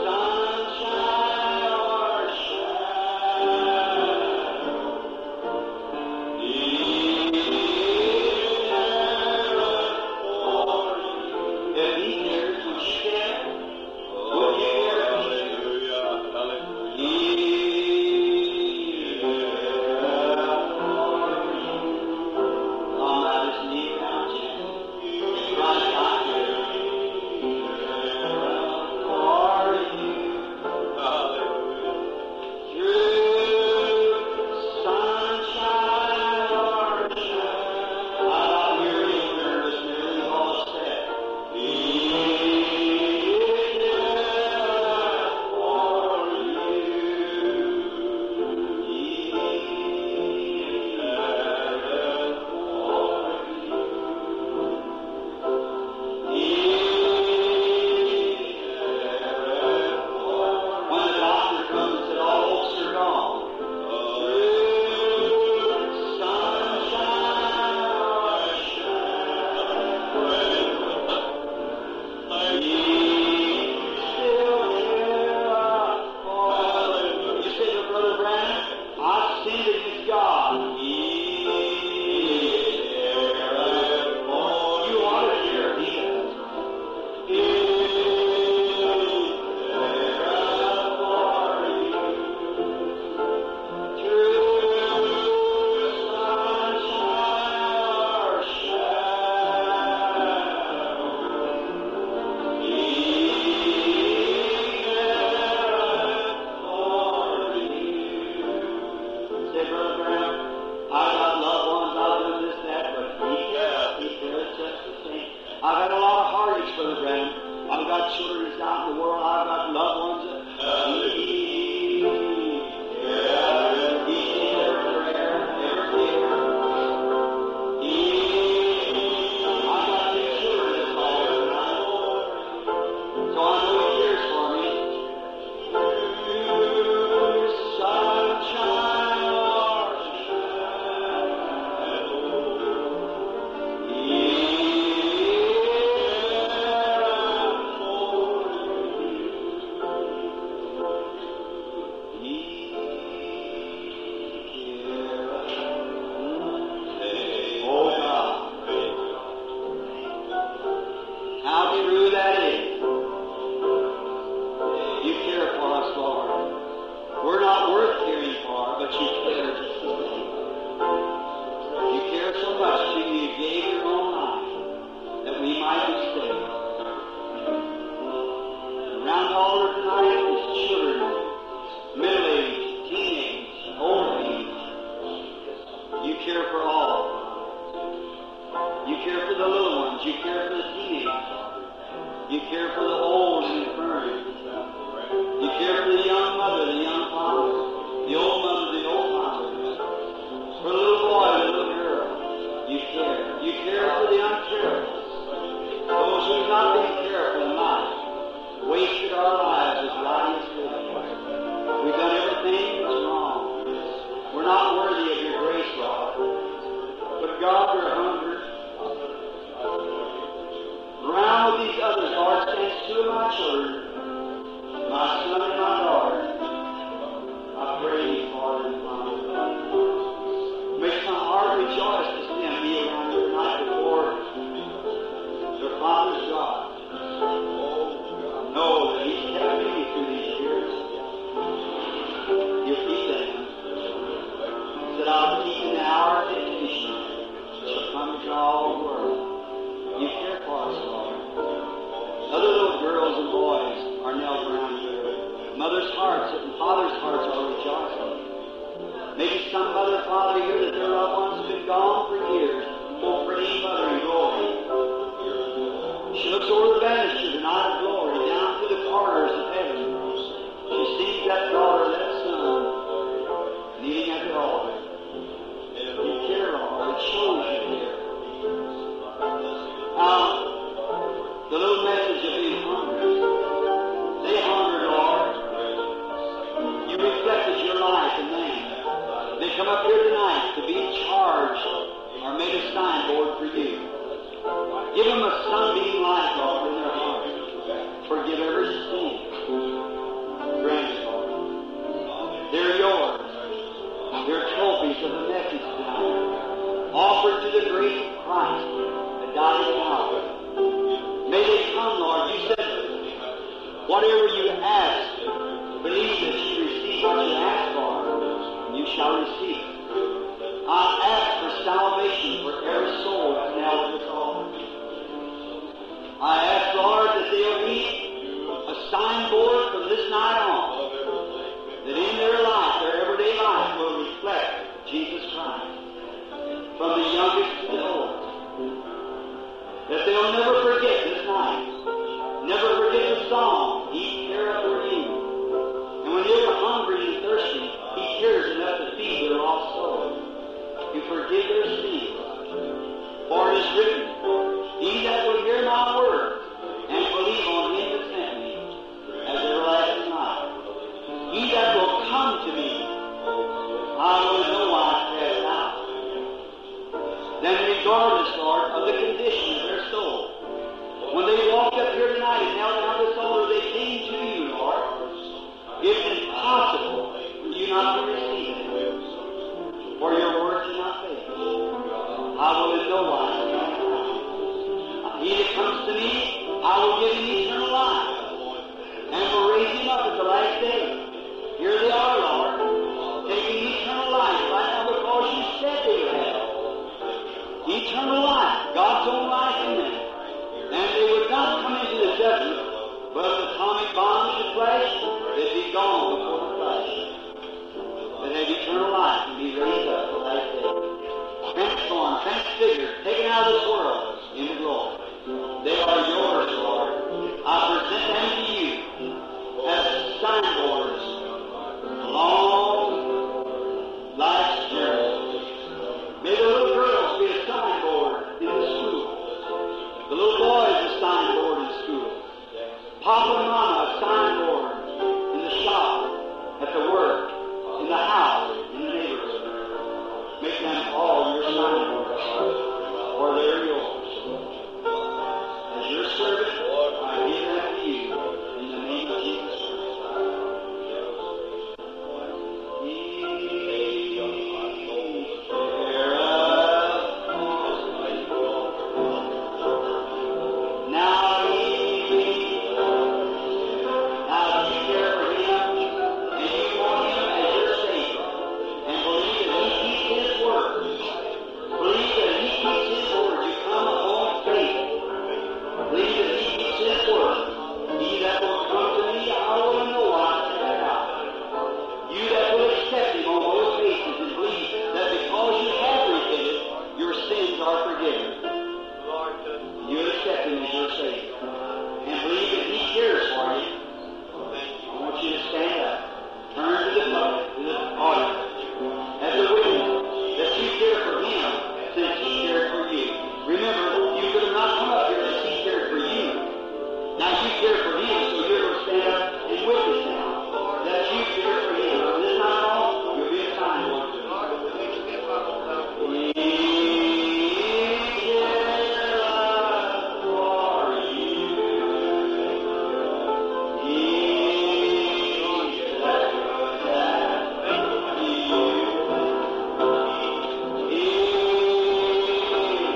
B: sunshine or shadow, He careth I've had a lot of heartaches, Brother Branham. I've got children that's out in the world. I've got loved ones. He cares. He sees every prayer, every tear. He, I've got two children that's all tonight. So I know He cares for me. Sunshine or shadow, He cares for me. He cares. Oh God, how true that is. You care for us, Lord. We're not worth caring for, but you care just the same. You care so much till you gave your own life that we might be saved. Around the altar tonight is children, middle age, teenage, old age. You care for all. You care for the little ones. You care for the teenagers. You care for the old and infirm. You care for the young mother, the young father, the old mother, the old father. For the little boy, the little girl. You care. You care for the uncareful. Those who've not been careful in life, wasted our lives with riotous living. We've done everything that's wrong. We're not worthy of your grace, Lord. But God, we're hungry. Around with these others, Lord, stands two of my children, my son and my daughter. I pray thee for them, Father. Makes my heart rejoice to see them be around here tonight before their Father's God. Know that He's kept me through these years. He'll keep them. He said, I'll keep in the hour of temptation shall come to all the world. You care for us, Lord. Other little girls and boys are knelt around here. Mothers' hearts and fathers' hearts are rejoicing. Maybe some mother or father here that their loved ones have been gone for years. Oh, praying mother in glory. She looks over the banister tonight of glory, down through the corridors of heaven. She sees that daughter, that son, kneeling at the altar. You care, Lord. It shows you care. Now, the little message of being hungry. They hungered, Lord. You reflected your life in them. They come up here tonight to be charged or made a signboard for you. Give them a sunbeam light, Lord, in their heart. Forgive every sin. Grant it, Lord. They're yours. They're trophies of the message tonight, offered to the great Christ that died at Calvary. May they come, Lord. You said, whatever you ask, believe that you receive what you ask for, and you shall receive it. I ask for salvation for every soul that's now at this altar. I ask, Lord, that they'll be a signboard from this night on, that in their life, their everyday life, will reflect Jesus Christ, from the youngest to the oldest. That they'll never forget this night, never forget the song, He careth for you. And when they're hungry and thirsty, He cares enough to feed their lost soul, to forgive their sins. For it is written, He that will hear my word and believe on Him that sent me has everlasting life. He that will come to me, I will in no wise cast out. Then regardless, Lord, of the condition of their soul, when they walked up here tonight and knelt down this altar, they came to you, Lord. It's impossible for you not to receive them, for your word cannot fail. I will in no wise cast out. He that comes to me, I will give him eternal life, and will raise him up at the last day. Here they are, Lord, taking eternal life right now because you said they would have eternal life, God's own life in them. And they would not come into the judgment, but if the atomic bomb should flash, they'd be gone before the flash. They'd have eternal life and be raised up the last day. Transformed, transfigured, taken out of this world into glory. The little boy is a signboard in school. Papa and Mama, a signboard in the shop, at the work, in the house, in the neighborhood. Make them all your signboards, for they're yours. As your servant, I give them to you in the name of Jesus Christ. Now he, now if you care for him, and you want him as your Savior, and believe that he keeps his word, believe that he keeps his word, you come upon faith. Believe that he keeps his word. He that will come to me, I will in no wise cast out. You that will accept him on those bases and believe that because you have repented, your sins are forgiven. You accept him as your Savior and believe that he cares for you. I want you to stand up, turn to the public, to the audience, as a witness that you care for him since he cared for you. Remember, you could have not come up here unless he cared for you. Now you care for him, so you're going to stand up and witness now that you care for him. From this time on, you'll be a signboard to him. He cares for you. He cares for you. He cares for you.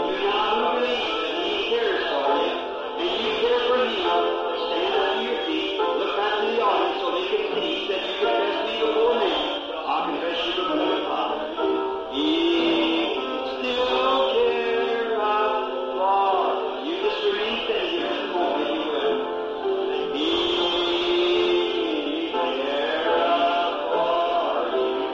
B: You now believe that he cares for you, and you care for him. Stand up to your feet, look back to the audience so they can see that you confess me before men. I'll confess you before the Father. He still cares for you. Just remain standing here just a moment, if you will. He cares for you. He cares for you.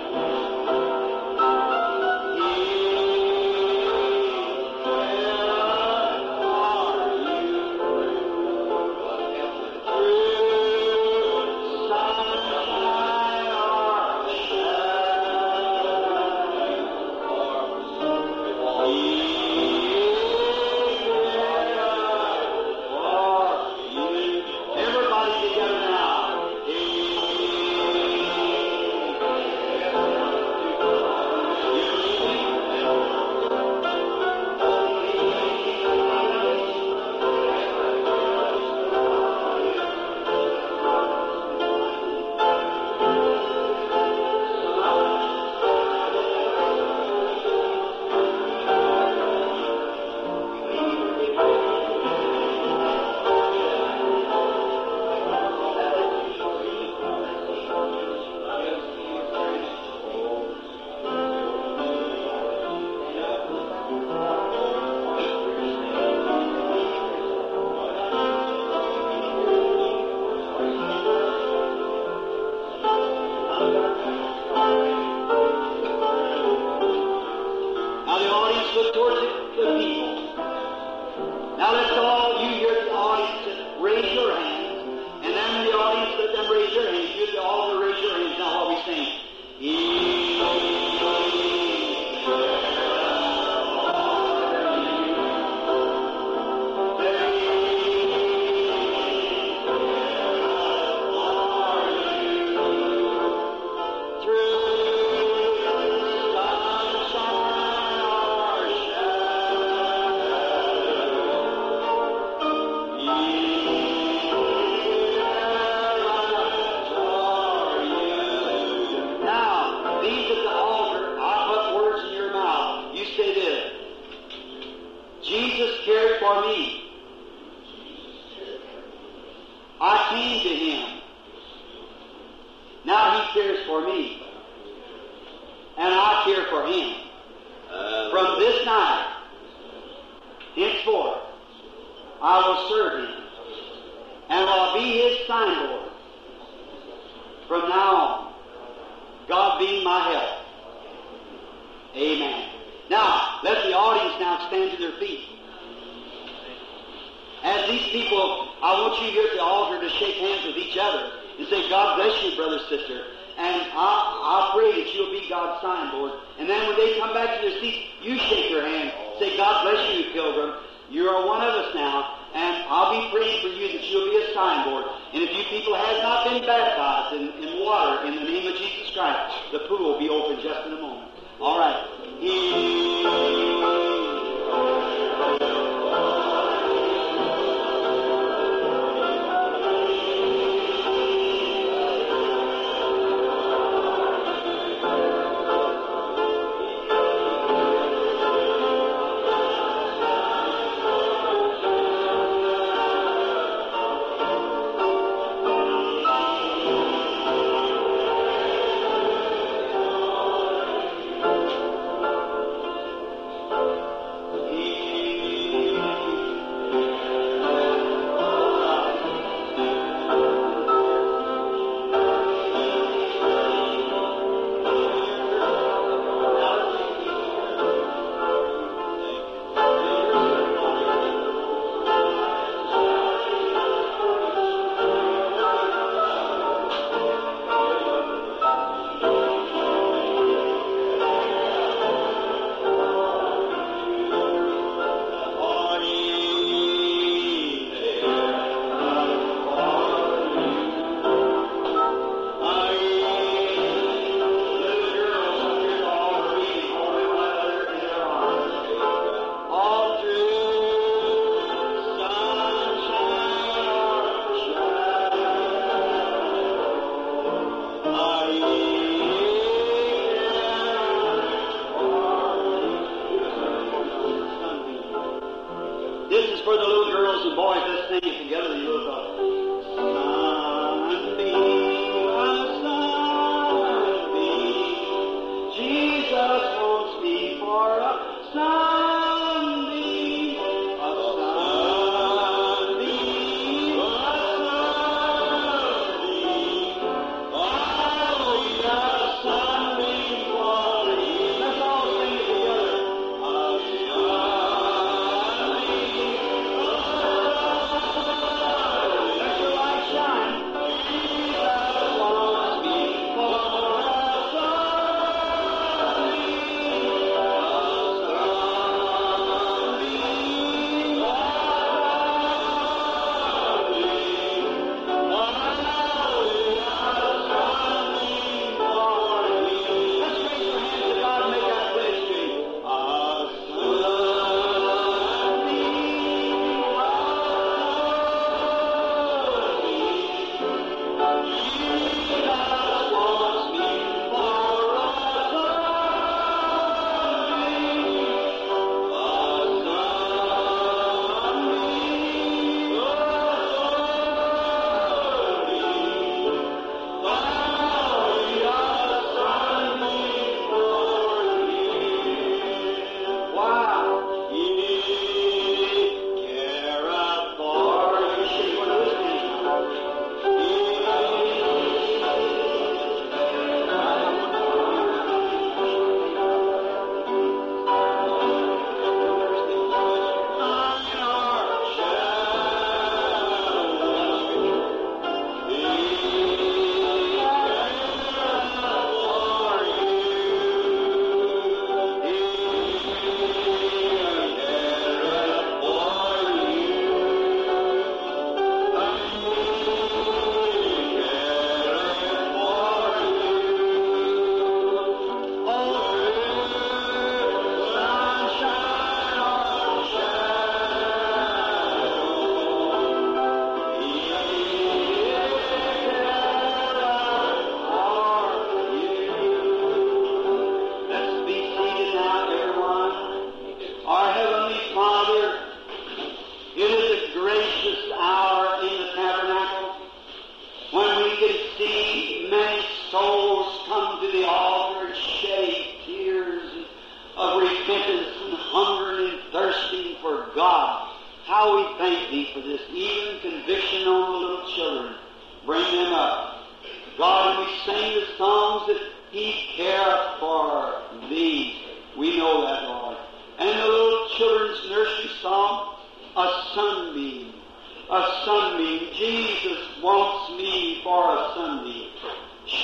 B: Through sunshine or shadow, He cares for you. Everybody together now. He You believe him? Now the audience look towards the, the people. Now let's all, you here at the audience, raise your hands. And then the audience, let them raise their hands. You at the altar, raise your hands now while we sing. He Now, these at the altar, I put words in your mouth. You say this. Jesus cared for me. I came to him. Now he cares for me. And I care for him. From this night, henceforth, I will serve him. And will be his signboard. From now on, God being my help. Amen. Now, let the audience now stand to their feet. As these people, I want you here at the altar to shake hands with each other and say, God bless you, brother, sister. And I, I pray that you'll be God's signboard. And then when they come back to their seats, you shake their hand. Say, God bless you, pilgrim. You are one of us now. And I'll be praying for you that you'll be a signboard. And if you people have not been baptized in, in water in the name of Jesus Christ, the pool will be open just in a moment. All right. He...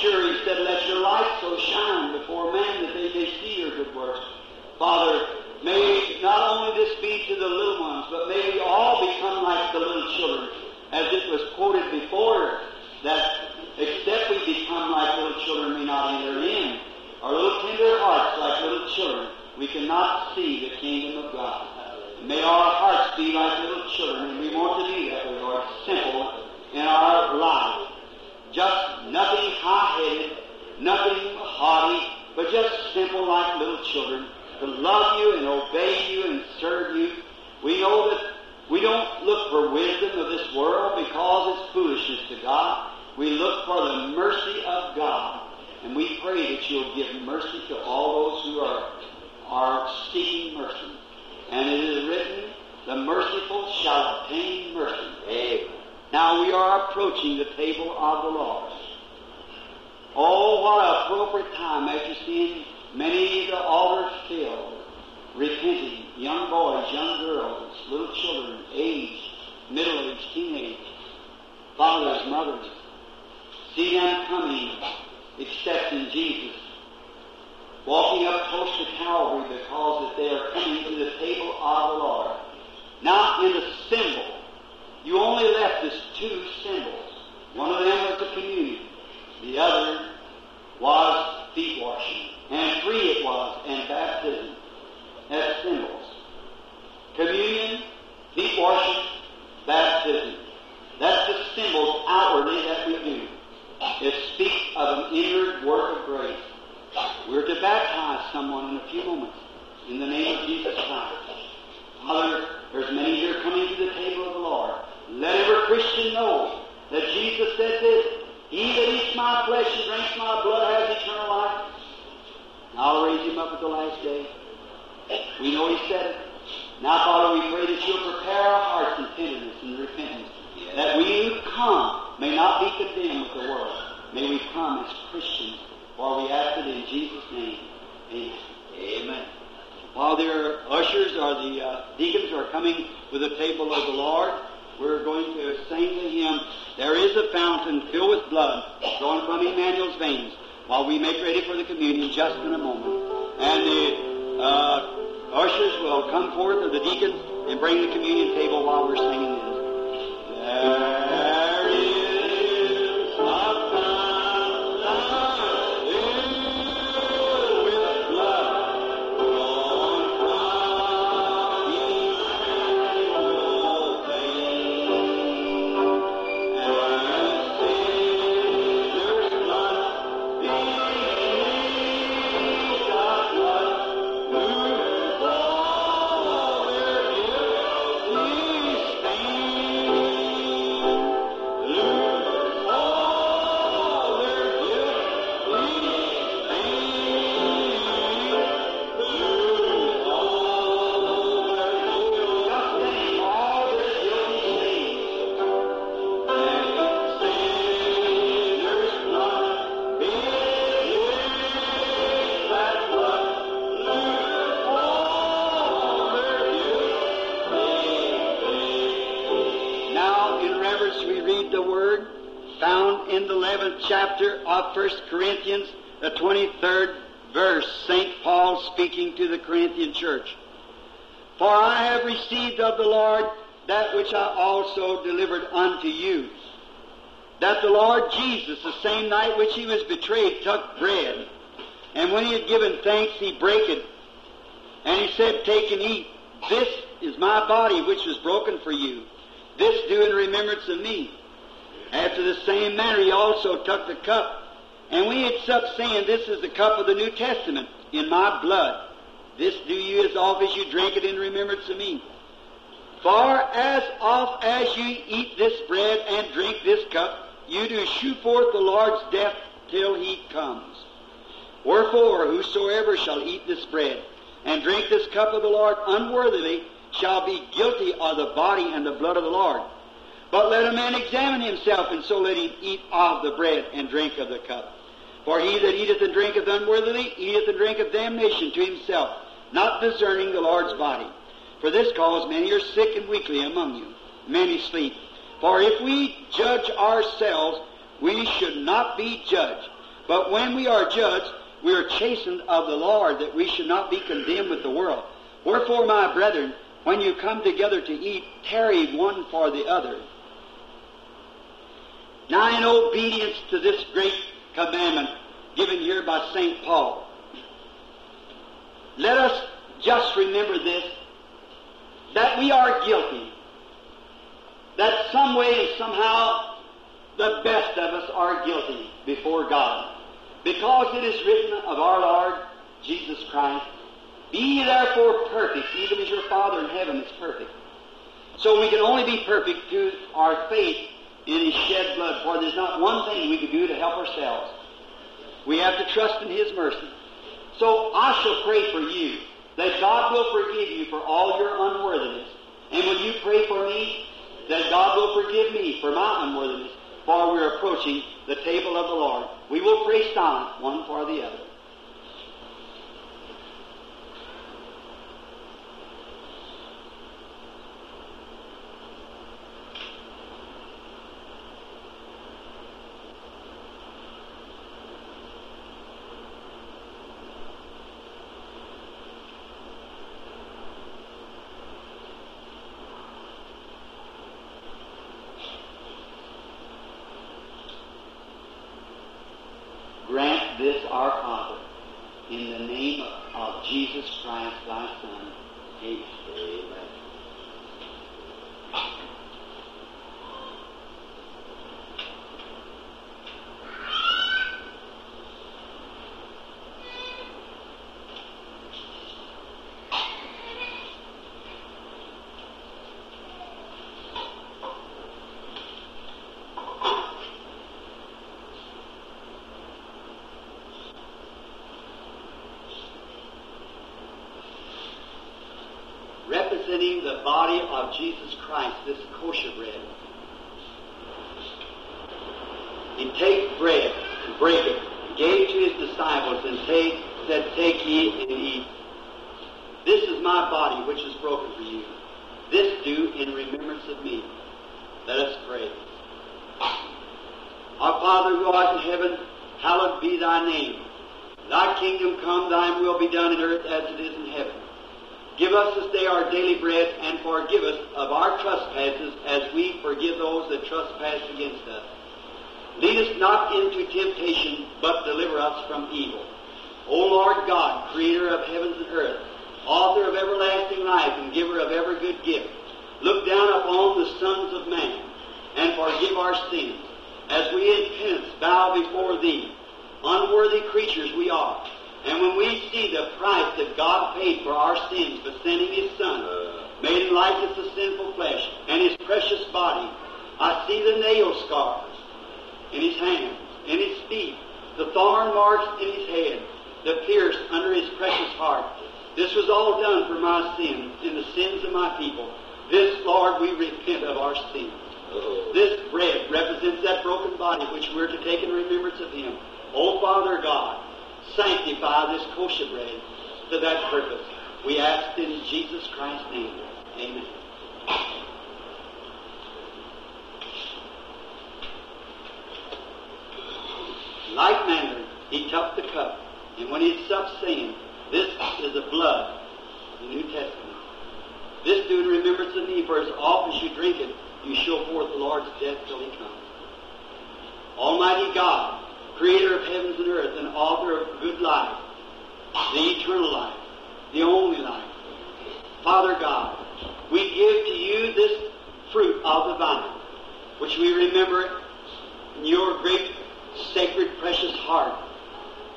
B: Sure, He said, let your light so shine before men that they may see your good works. Father, may not only this be to the little ones, but may we all become like the little children, as it was quoted before, that except we become like little children, we not enter in. Our little tender hearts, like little children, we cannot see the kingdom of God. May our hearts be like little children, and we want to be that way, Lord, simple in our life. Just nothing high-headed, nothing haughty, but just simple like little children, to love you and obey you and serve you. We know that we don't look for wisdom of this world because it's foolishness to God. We look for the mercy of God, and we pray that you'll give mercy to all those who are, are seeking mercy. And it is written, the merciful shall obtain mercy. Amen. Now we are approaching the table of the Lord. Oh, what an appropriate time after seeing many of the altars filled, repenting, young boys, young girls, little children, aged, middle-aged, teenage, fathers, mothers. See them coming, accepting Jesus, walking up close to Calvary because that they are coming to the table of the Lord. Now in the symbol, you only left us two symbols. One of them was the communion. The other was feet washing. And three it was, and baptism as symbols. Communion, feet washing, baptism. That's the symbols outwardly that we do. It speaks of an inward work of grace. We're to baptize someone in a few moments in the name of Jesus Christ. Father, there's many here coming to the table of the Lord. Let every Christian know that Jesus said this, he that eats my flesh and drinks my blood has eternal life. And I'll raise him up at the last day. We know he said it. Now, Father, we pray that you'll prepare our hearts in tenderness and repentance, that we who come may not be condemned with the world. May we come as Christians, for we ask it in Jesus' name. Amen. Amen. While their ushers or the uh, deacons are coming with the table of the Lord, we're going to sing the hymn, There is a Fountain Filled with Blood, Flowing from Emmanuel's Veins, while we make ready for the communion just in a moment. And the uh, ushers will come forth, or the deacons, and bring the communion table while we're singing this. There is a fountain filled with blood, flowing from Emmanuel's veins, and sinners' blood beneath the flood, lose all their guilty stains. Lose all their guilty stains. Lose all their guilty, all their guilty stains. And sinners' blood beneath that flood, lose all their guilty stains. Now, in reverence, we read the word found in the eleventh chapter of First Corinthians, the twenty-third verse, Saint Paul speaking to the Corinthian church. For I have received of the Lord that which I also delivered unto you, that the Lord Jesus, the same night which he was betrayed, took bread. And when he had given thanks, he brake it. And he said, Take and eat. This is my body which is broken for you. This do in remembrance of me. After the same manner he also took the cup. And when he had supped, saying, This is the cup of the New Testament in my blood. This do you as oft as you drink it in remembrance of me. For as oft as you eat this bread and drink this cup, you do shew forth the Lord's death till he comes. Wherefore, whosoever shall eat this bread and drink this cup of the Lord unworthily shall be guilty of the body and the blood of the Lord. But let a man examine himself, and so let him eat of the bread and drink of the cup. For he that eateth and drinketh unworthily eateth and drinketh damnation to himself, not discerning the Lord's body. For this cause many are sick and weakly among you, many sleep. For if we judge ourselves, we should not be judged. But when we are judged, we are chastened of the Lord, that we should not be condemned with the world. Wherefore, my brethren, when you come together to eat, tarry one for the other. Now, in obedience to this great commandment given here by Saint Paul, let us just remember this, that we are guilty, that some way and somehow the best of us are guilty before God, because it is written of our Lord Jesus Christ, "Be ye therefore perfect, even as your Father in heaven is perfect." So we can only be perfect through our faith in His shed blood, for there's not one thing we can do to help ourselves. We have to trust in His mercy. So I shall pray for you, that God will forgive you for all your unworthiness. And will you pray for me, that God will forgive me for my unworthiness, for we are approaching the table of the Lord. We will pray silent one for the other. Grant this, our Father, in the name of Jesus Christ, thy Son. Amen. Amen. Representing the body of Jesus Christ, this kosher bread. He take bread and break it, and gave to his disciples, and take, said, "Take ye and eat. This is my body which is broken for you. This do in remembrance of me." Let us pray. Our Father who art in heaven, hallowed be thy name. Thy kingdom come, thine will be done in earth as it is in heaven. Give us this day our daily bread, and forgive us of our trespasses as we forgive those that trespass against us. Lead us not into temptation, but deliver us from evil. O Lord God, creator of heavens and earth, author of everlasting life and giver of every good gift, look down upon the sons of man and forgive our sins, as we in penance bow before thee. Unworthy creatures we are. And when we see the price that God paid for our sins by sending His Son, made in likeness of sinful flesh, and His precious body, I see the nail scars in His hands, in His feet, the thorn marks in His head, the pierce under His precious heart. This was all done for my sins and the sins of my people. This, Lord, we repent of our sins. This bread represents that broken body which we're to take in remembrance of Him. O Father God, sanctify this kosher bread to that purpose. We ask in Jesus Christ's name. Amen. In like manner, he took the cup, and when he had supped, saying, "This is the blood of the New Testament. This do in remembrance of me, for as oft as you drink it, you show forth the Lord's death till he comes." Almighty God, creator of heavens and earth and author of good life, the eternal life, the only life, Father God, we give to you this fruit of the vine, which we remember in your great, sacred, precious heart.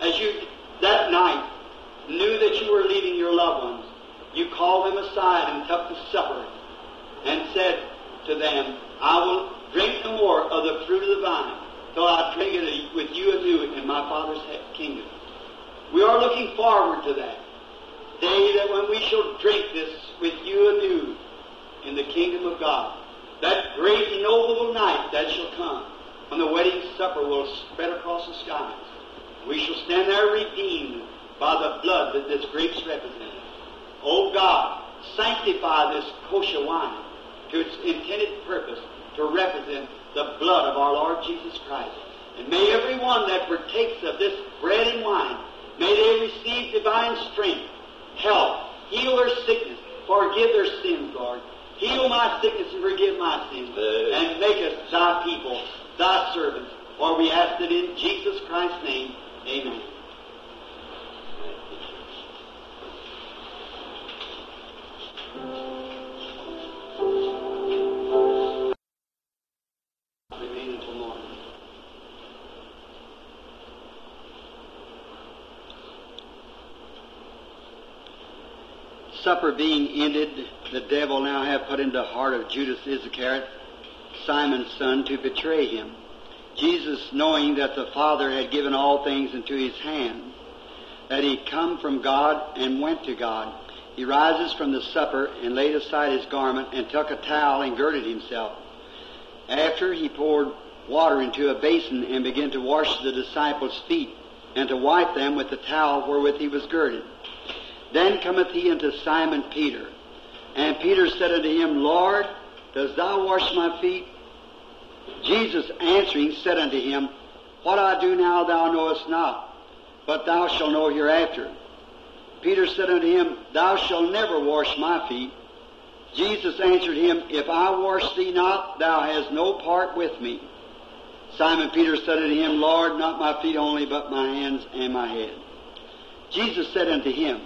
B: As you, that night, knew that you were leaving your loved ones, you called them aside and took the supper and said to them, "I will drink no more of the fruit of the vine till I drink it with you anew in my Father's kingdom." We are looking forward to that day that when we shall drink this with you anew in the kingdom of God, that great noble night that shall come when the wedding supper will spread across the skies. We shall stand there redeemed by the blood that this grapes represent. O God, sanctify this kosher wine to its intended purpose, to represent the blood of our Lord Jesus Christ. And may every one that partakes of this bread and wine, may they receive divine strength, health, heal their sickness, forgive their sins, Lord. Heal my sickness and forgive my sins. And make us thy people, thy servants. For we ask it in Jesus Christ's name. Amen. Remain until morning. Supper being ended, the devil now hath put into the heart of Judas Iscariot, Simon's son, to betray him. Jesus, knowing that the Father had given all things into his hand, that he come from God and went to God, he rises from the supper and laid aside his garment and took a towel and girded himself. After he poured water into a basin and began to wash the disciples' feet and to wipe them with the towel wherewith he was girded. Then cometh he unto Simon Peter. And Peter said unto him, Lord, dost thou wash my feet? Jesus answering said unto him, What I do now thou knowest not, but thou shalt know hereafter. Peter said unto him, Thou shalt never wash my feet. Jesus answered him, If I wash thee not, thou hast no part with me. Simon Peter said unto him, Lord, not my feet only, but my hands and my head. Jesus said unto him,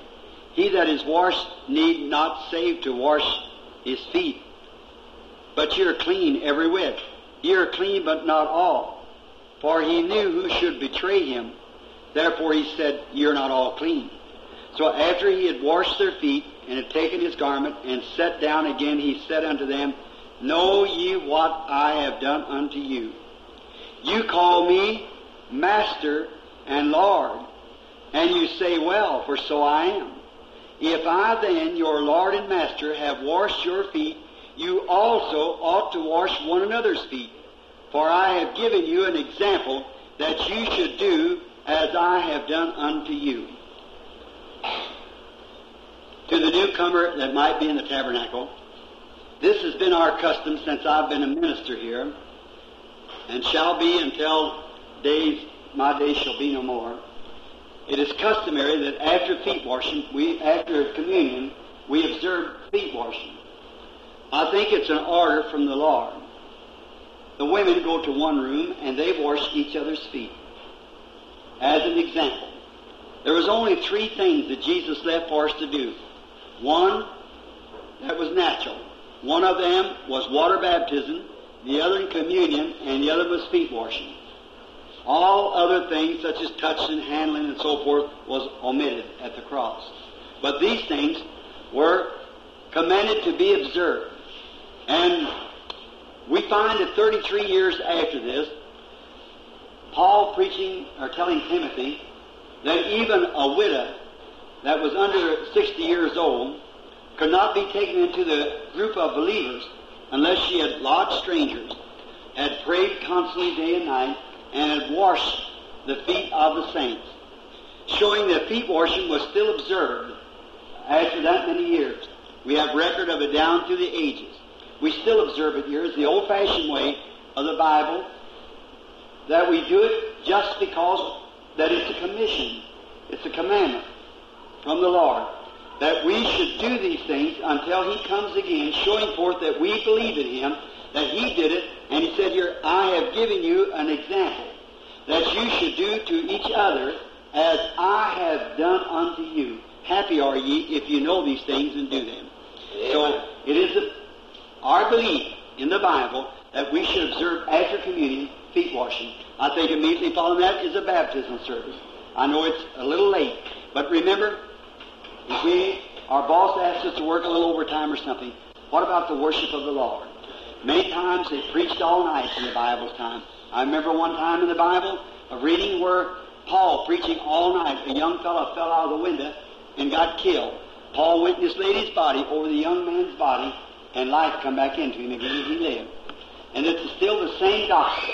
B: He that is washed need not save to wash his feet, but ye are clean every whit. Ye are clean, but not all. For he knew who should betray him. Therefore he said, Ye are not all clean. So after he had washed their feet, and had taken his garment, and sat down again, he said unto them, Know ye what I have done unto you? You call me Master and Lord, and you say, Well, for so I am. If I then, your Lord and Master, have washed your feet, you also ought to wash one another's feet. For I have given you an example that you should do as I have done unto you. To the newcomer that might be in the tabernacle, this has been our custom since I've been a minister here, and shall be until days my days shall be no more. It is customary that after feet washing, we after communion, we observe feet washing. I think it's an order from the Lord. The women go to one room and they wash each other's feet. As an example, there was only three things that Jesus left for us to do. One, that was natural. One of them was water baptism, the other communion, and the other was feet washing. All other things, such as touching, handling, and so forth, was omitted at the cross. But these things were commanded to be observed. And we find that thirty-three years after this, Paul preaching or telling Timothy that even a widow that was under sixty years old could not be taken into the group of believers unless she had lodged strangers, had prayed constantly day and night, and had washed the feet of the saints, showing that feet washing was still observed after that many years. We have record of it down through the ages. We still observe it here. It's the old-fashioned way of the Bible that we do it just because that it's a commission. It's a commandment from the Lord that we should do these things until He comes again, showing forth that we believe in Him, that He did it, and He said here, I have given you an example that you should do to each other as I have done unto you. Happy are ye if you know these things and do them. Amen. So it is a, our belief in the Bible that we should observe after communion feet washing. I think immediately following that is a baptism service. I know it's a little late, but remember, if we, our boss asks us to work a little overtime or something, what about the worship of the Lord? Many times they preached all night in the Bible's time. I remember one time in the Bible of reading where Paul preaching all night, a young fellow fell out of the window and got killed. Paul went and just laid his body over the young man's body, and life come back into him again, and he lived. And it's still the same gospel,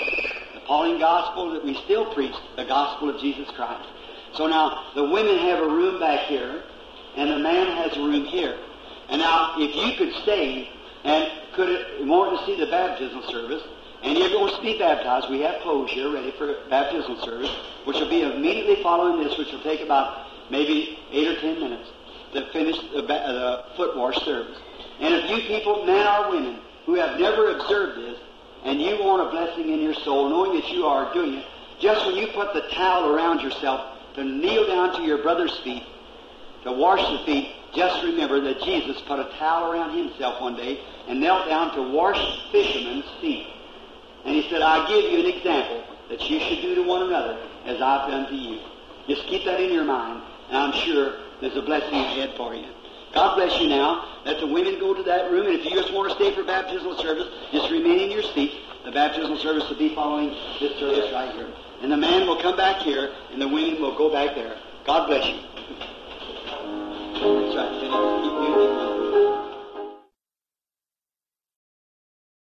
B: the Pauline gospel that we still preach, the gospel of Jesus Christ. So now, the women have a room back here, and the man has a room here. And now, if you could stay and could want to see the baptismal service, Any of you wants to be baptized, we have clothes here ready for baptismal service, which will be immediately following this, which will take about maybe eight or ten minutes to finish the, ba- the foot wash service. And if you people, men or women, who have never observed this, and you want a blessing in your soul, knowing that you are doing it, just when you put the towel around yourself to kneel down to your brother's feet, to wash the feet, just remember that Jesus put a towel around himself one day and knelt down to wash fishermen's feet. And he said, I give you an example that you should do to one another as I've done to you. Just keep that in your mind, and I'm sure there's a blessing ahead for you. God bless you now. Let the women go to that room, and if you just want to stay for baptismal service, just remain in your seats. The baptismal service will be following this service right here. And the man will come back here, and the women will go back there. God bless you. That's right. Keep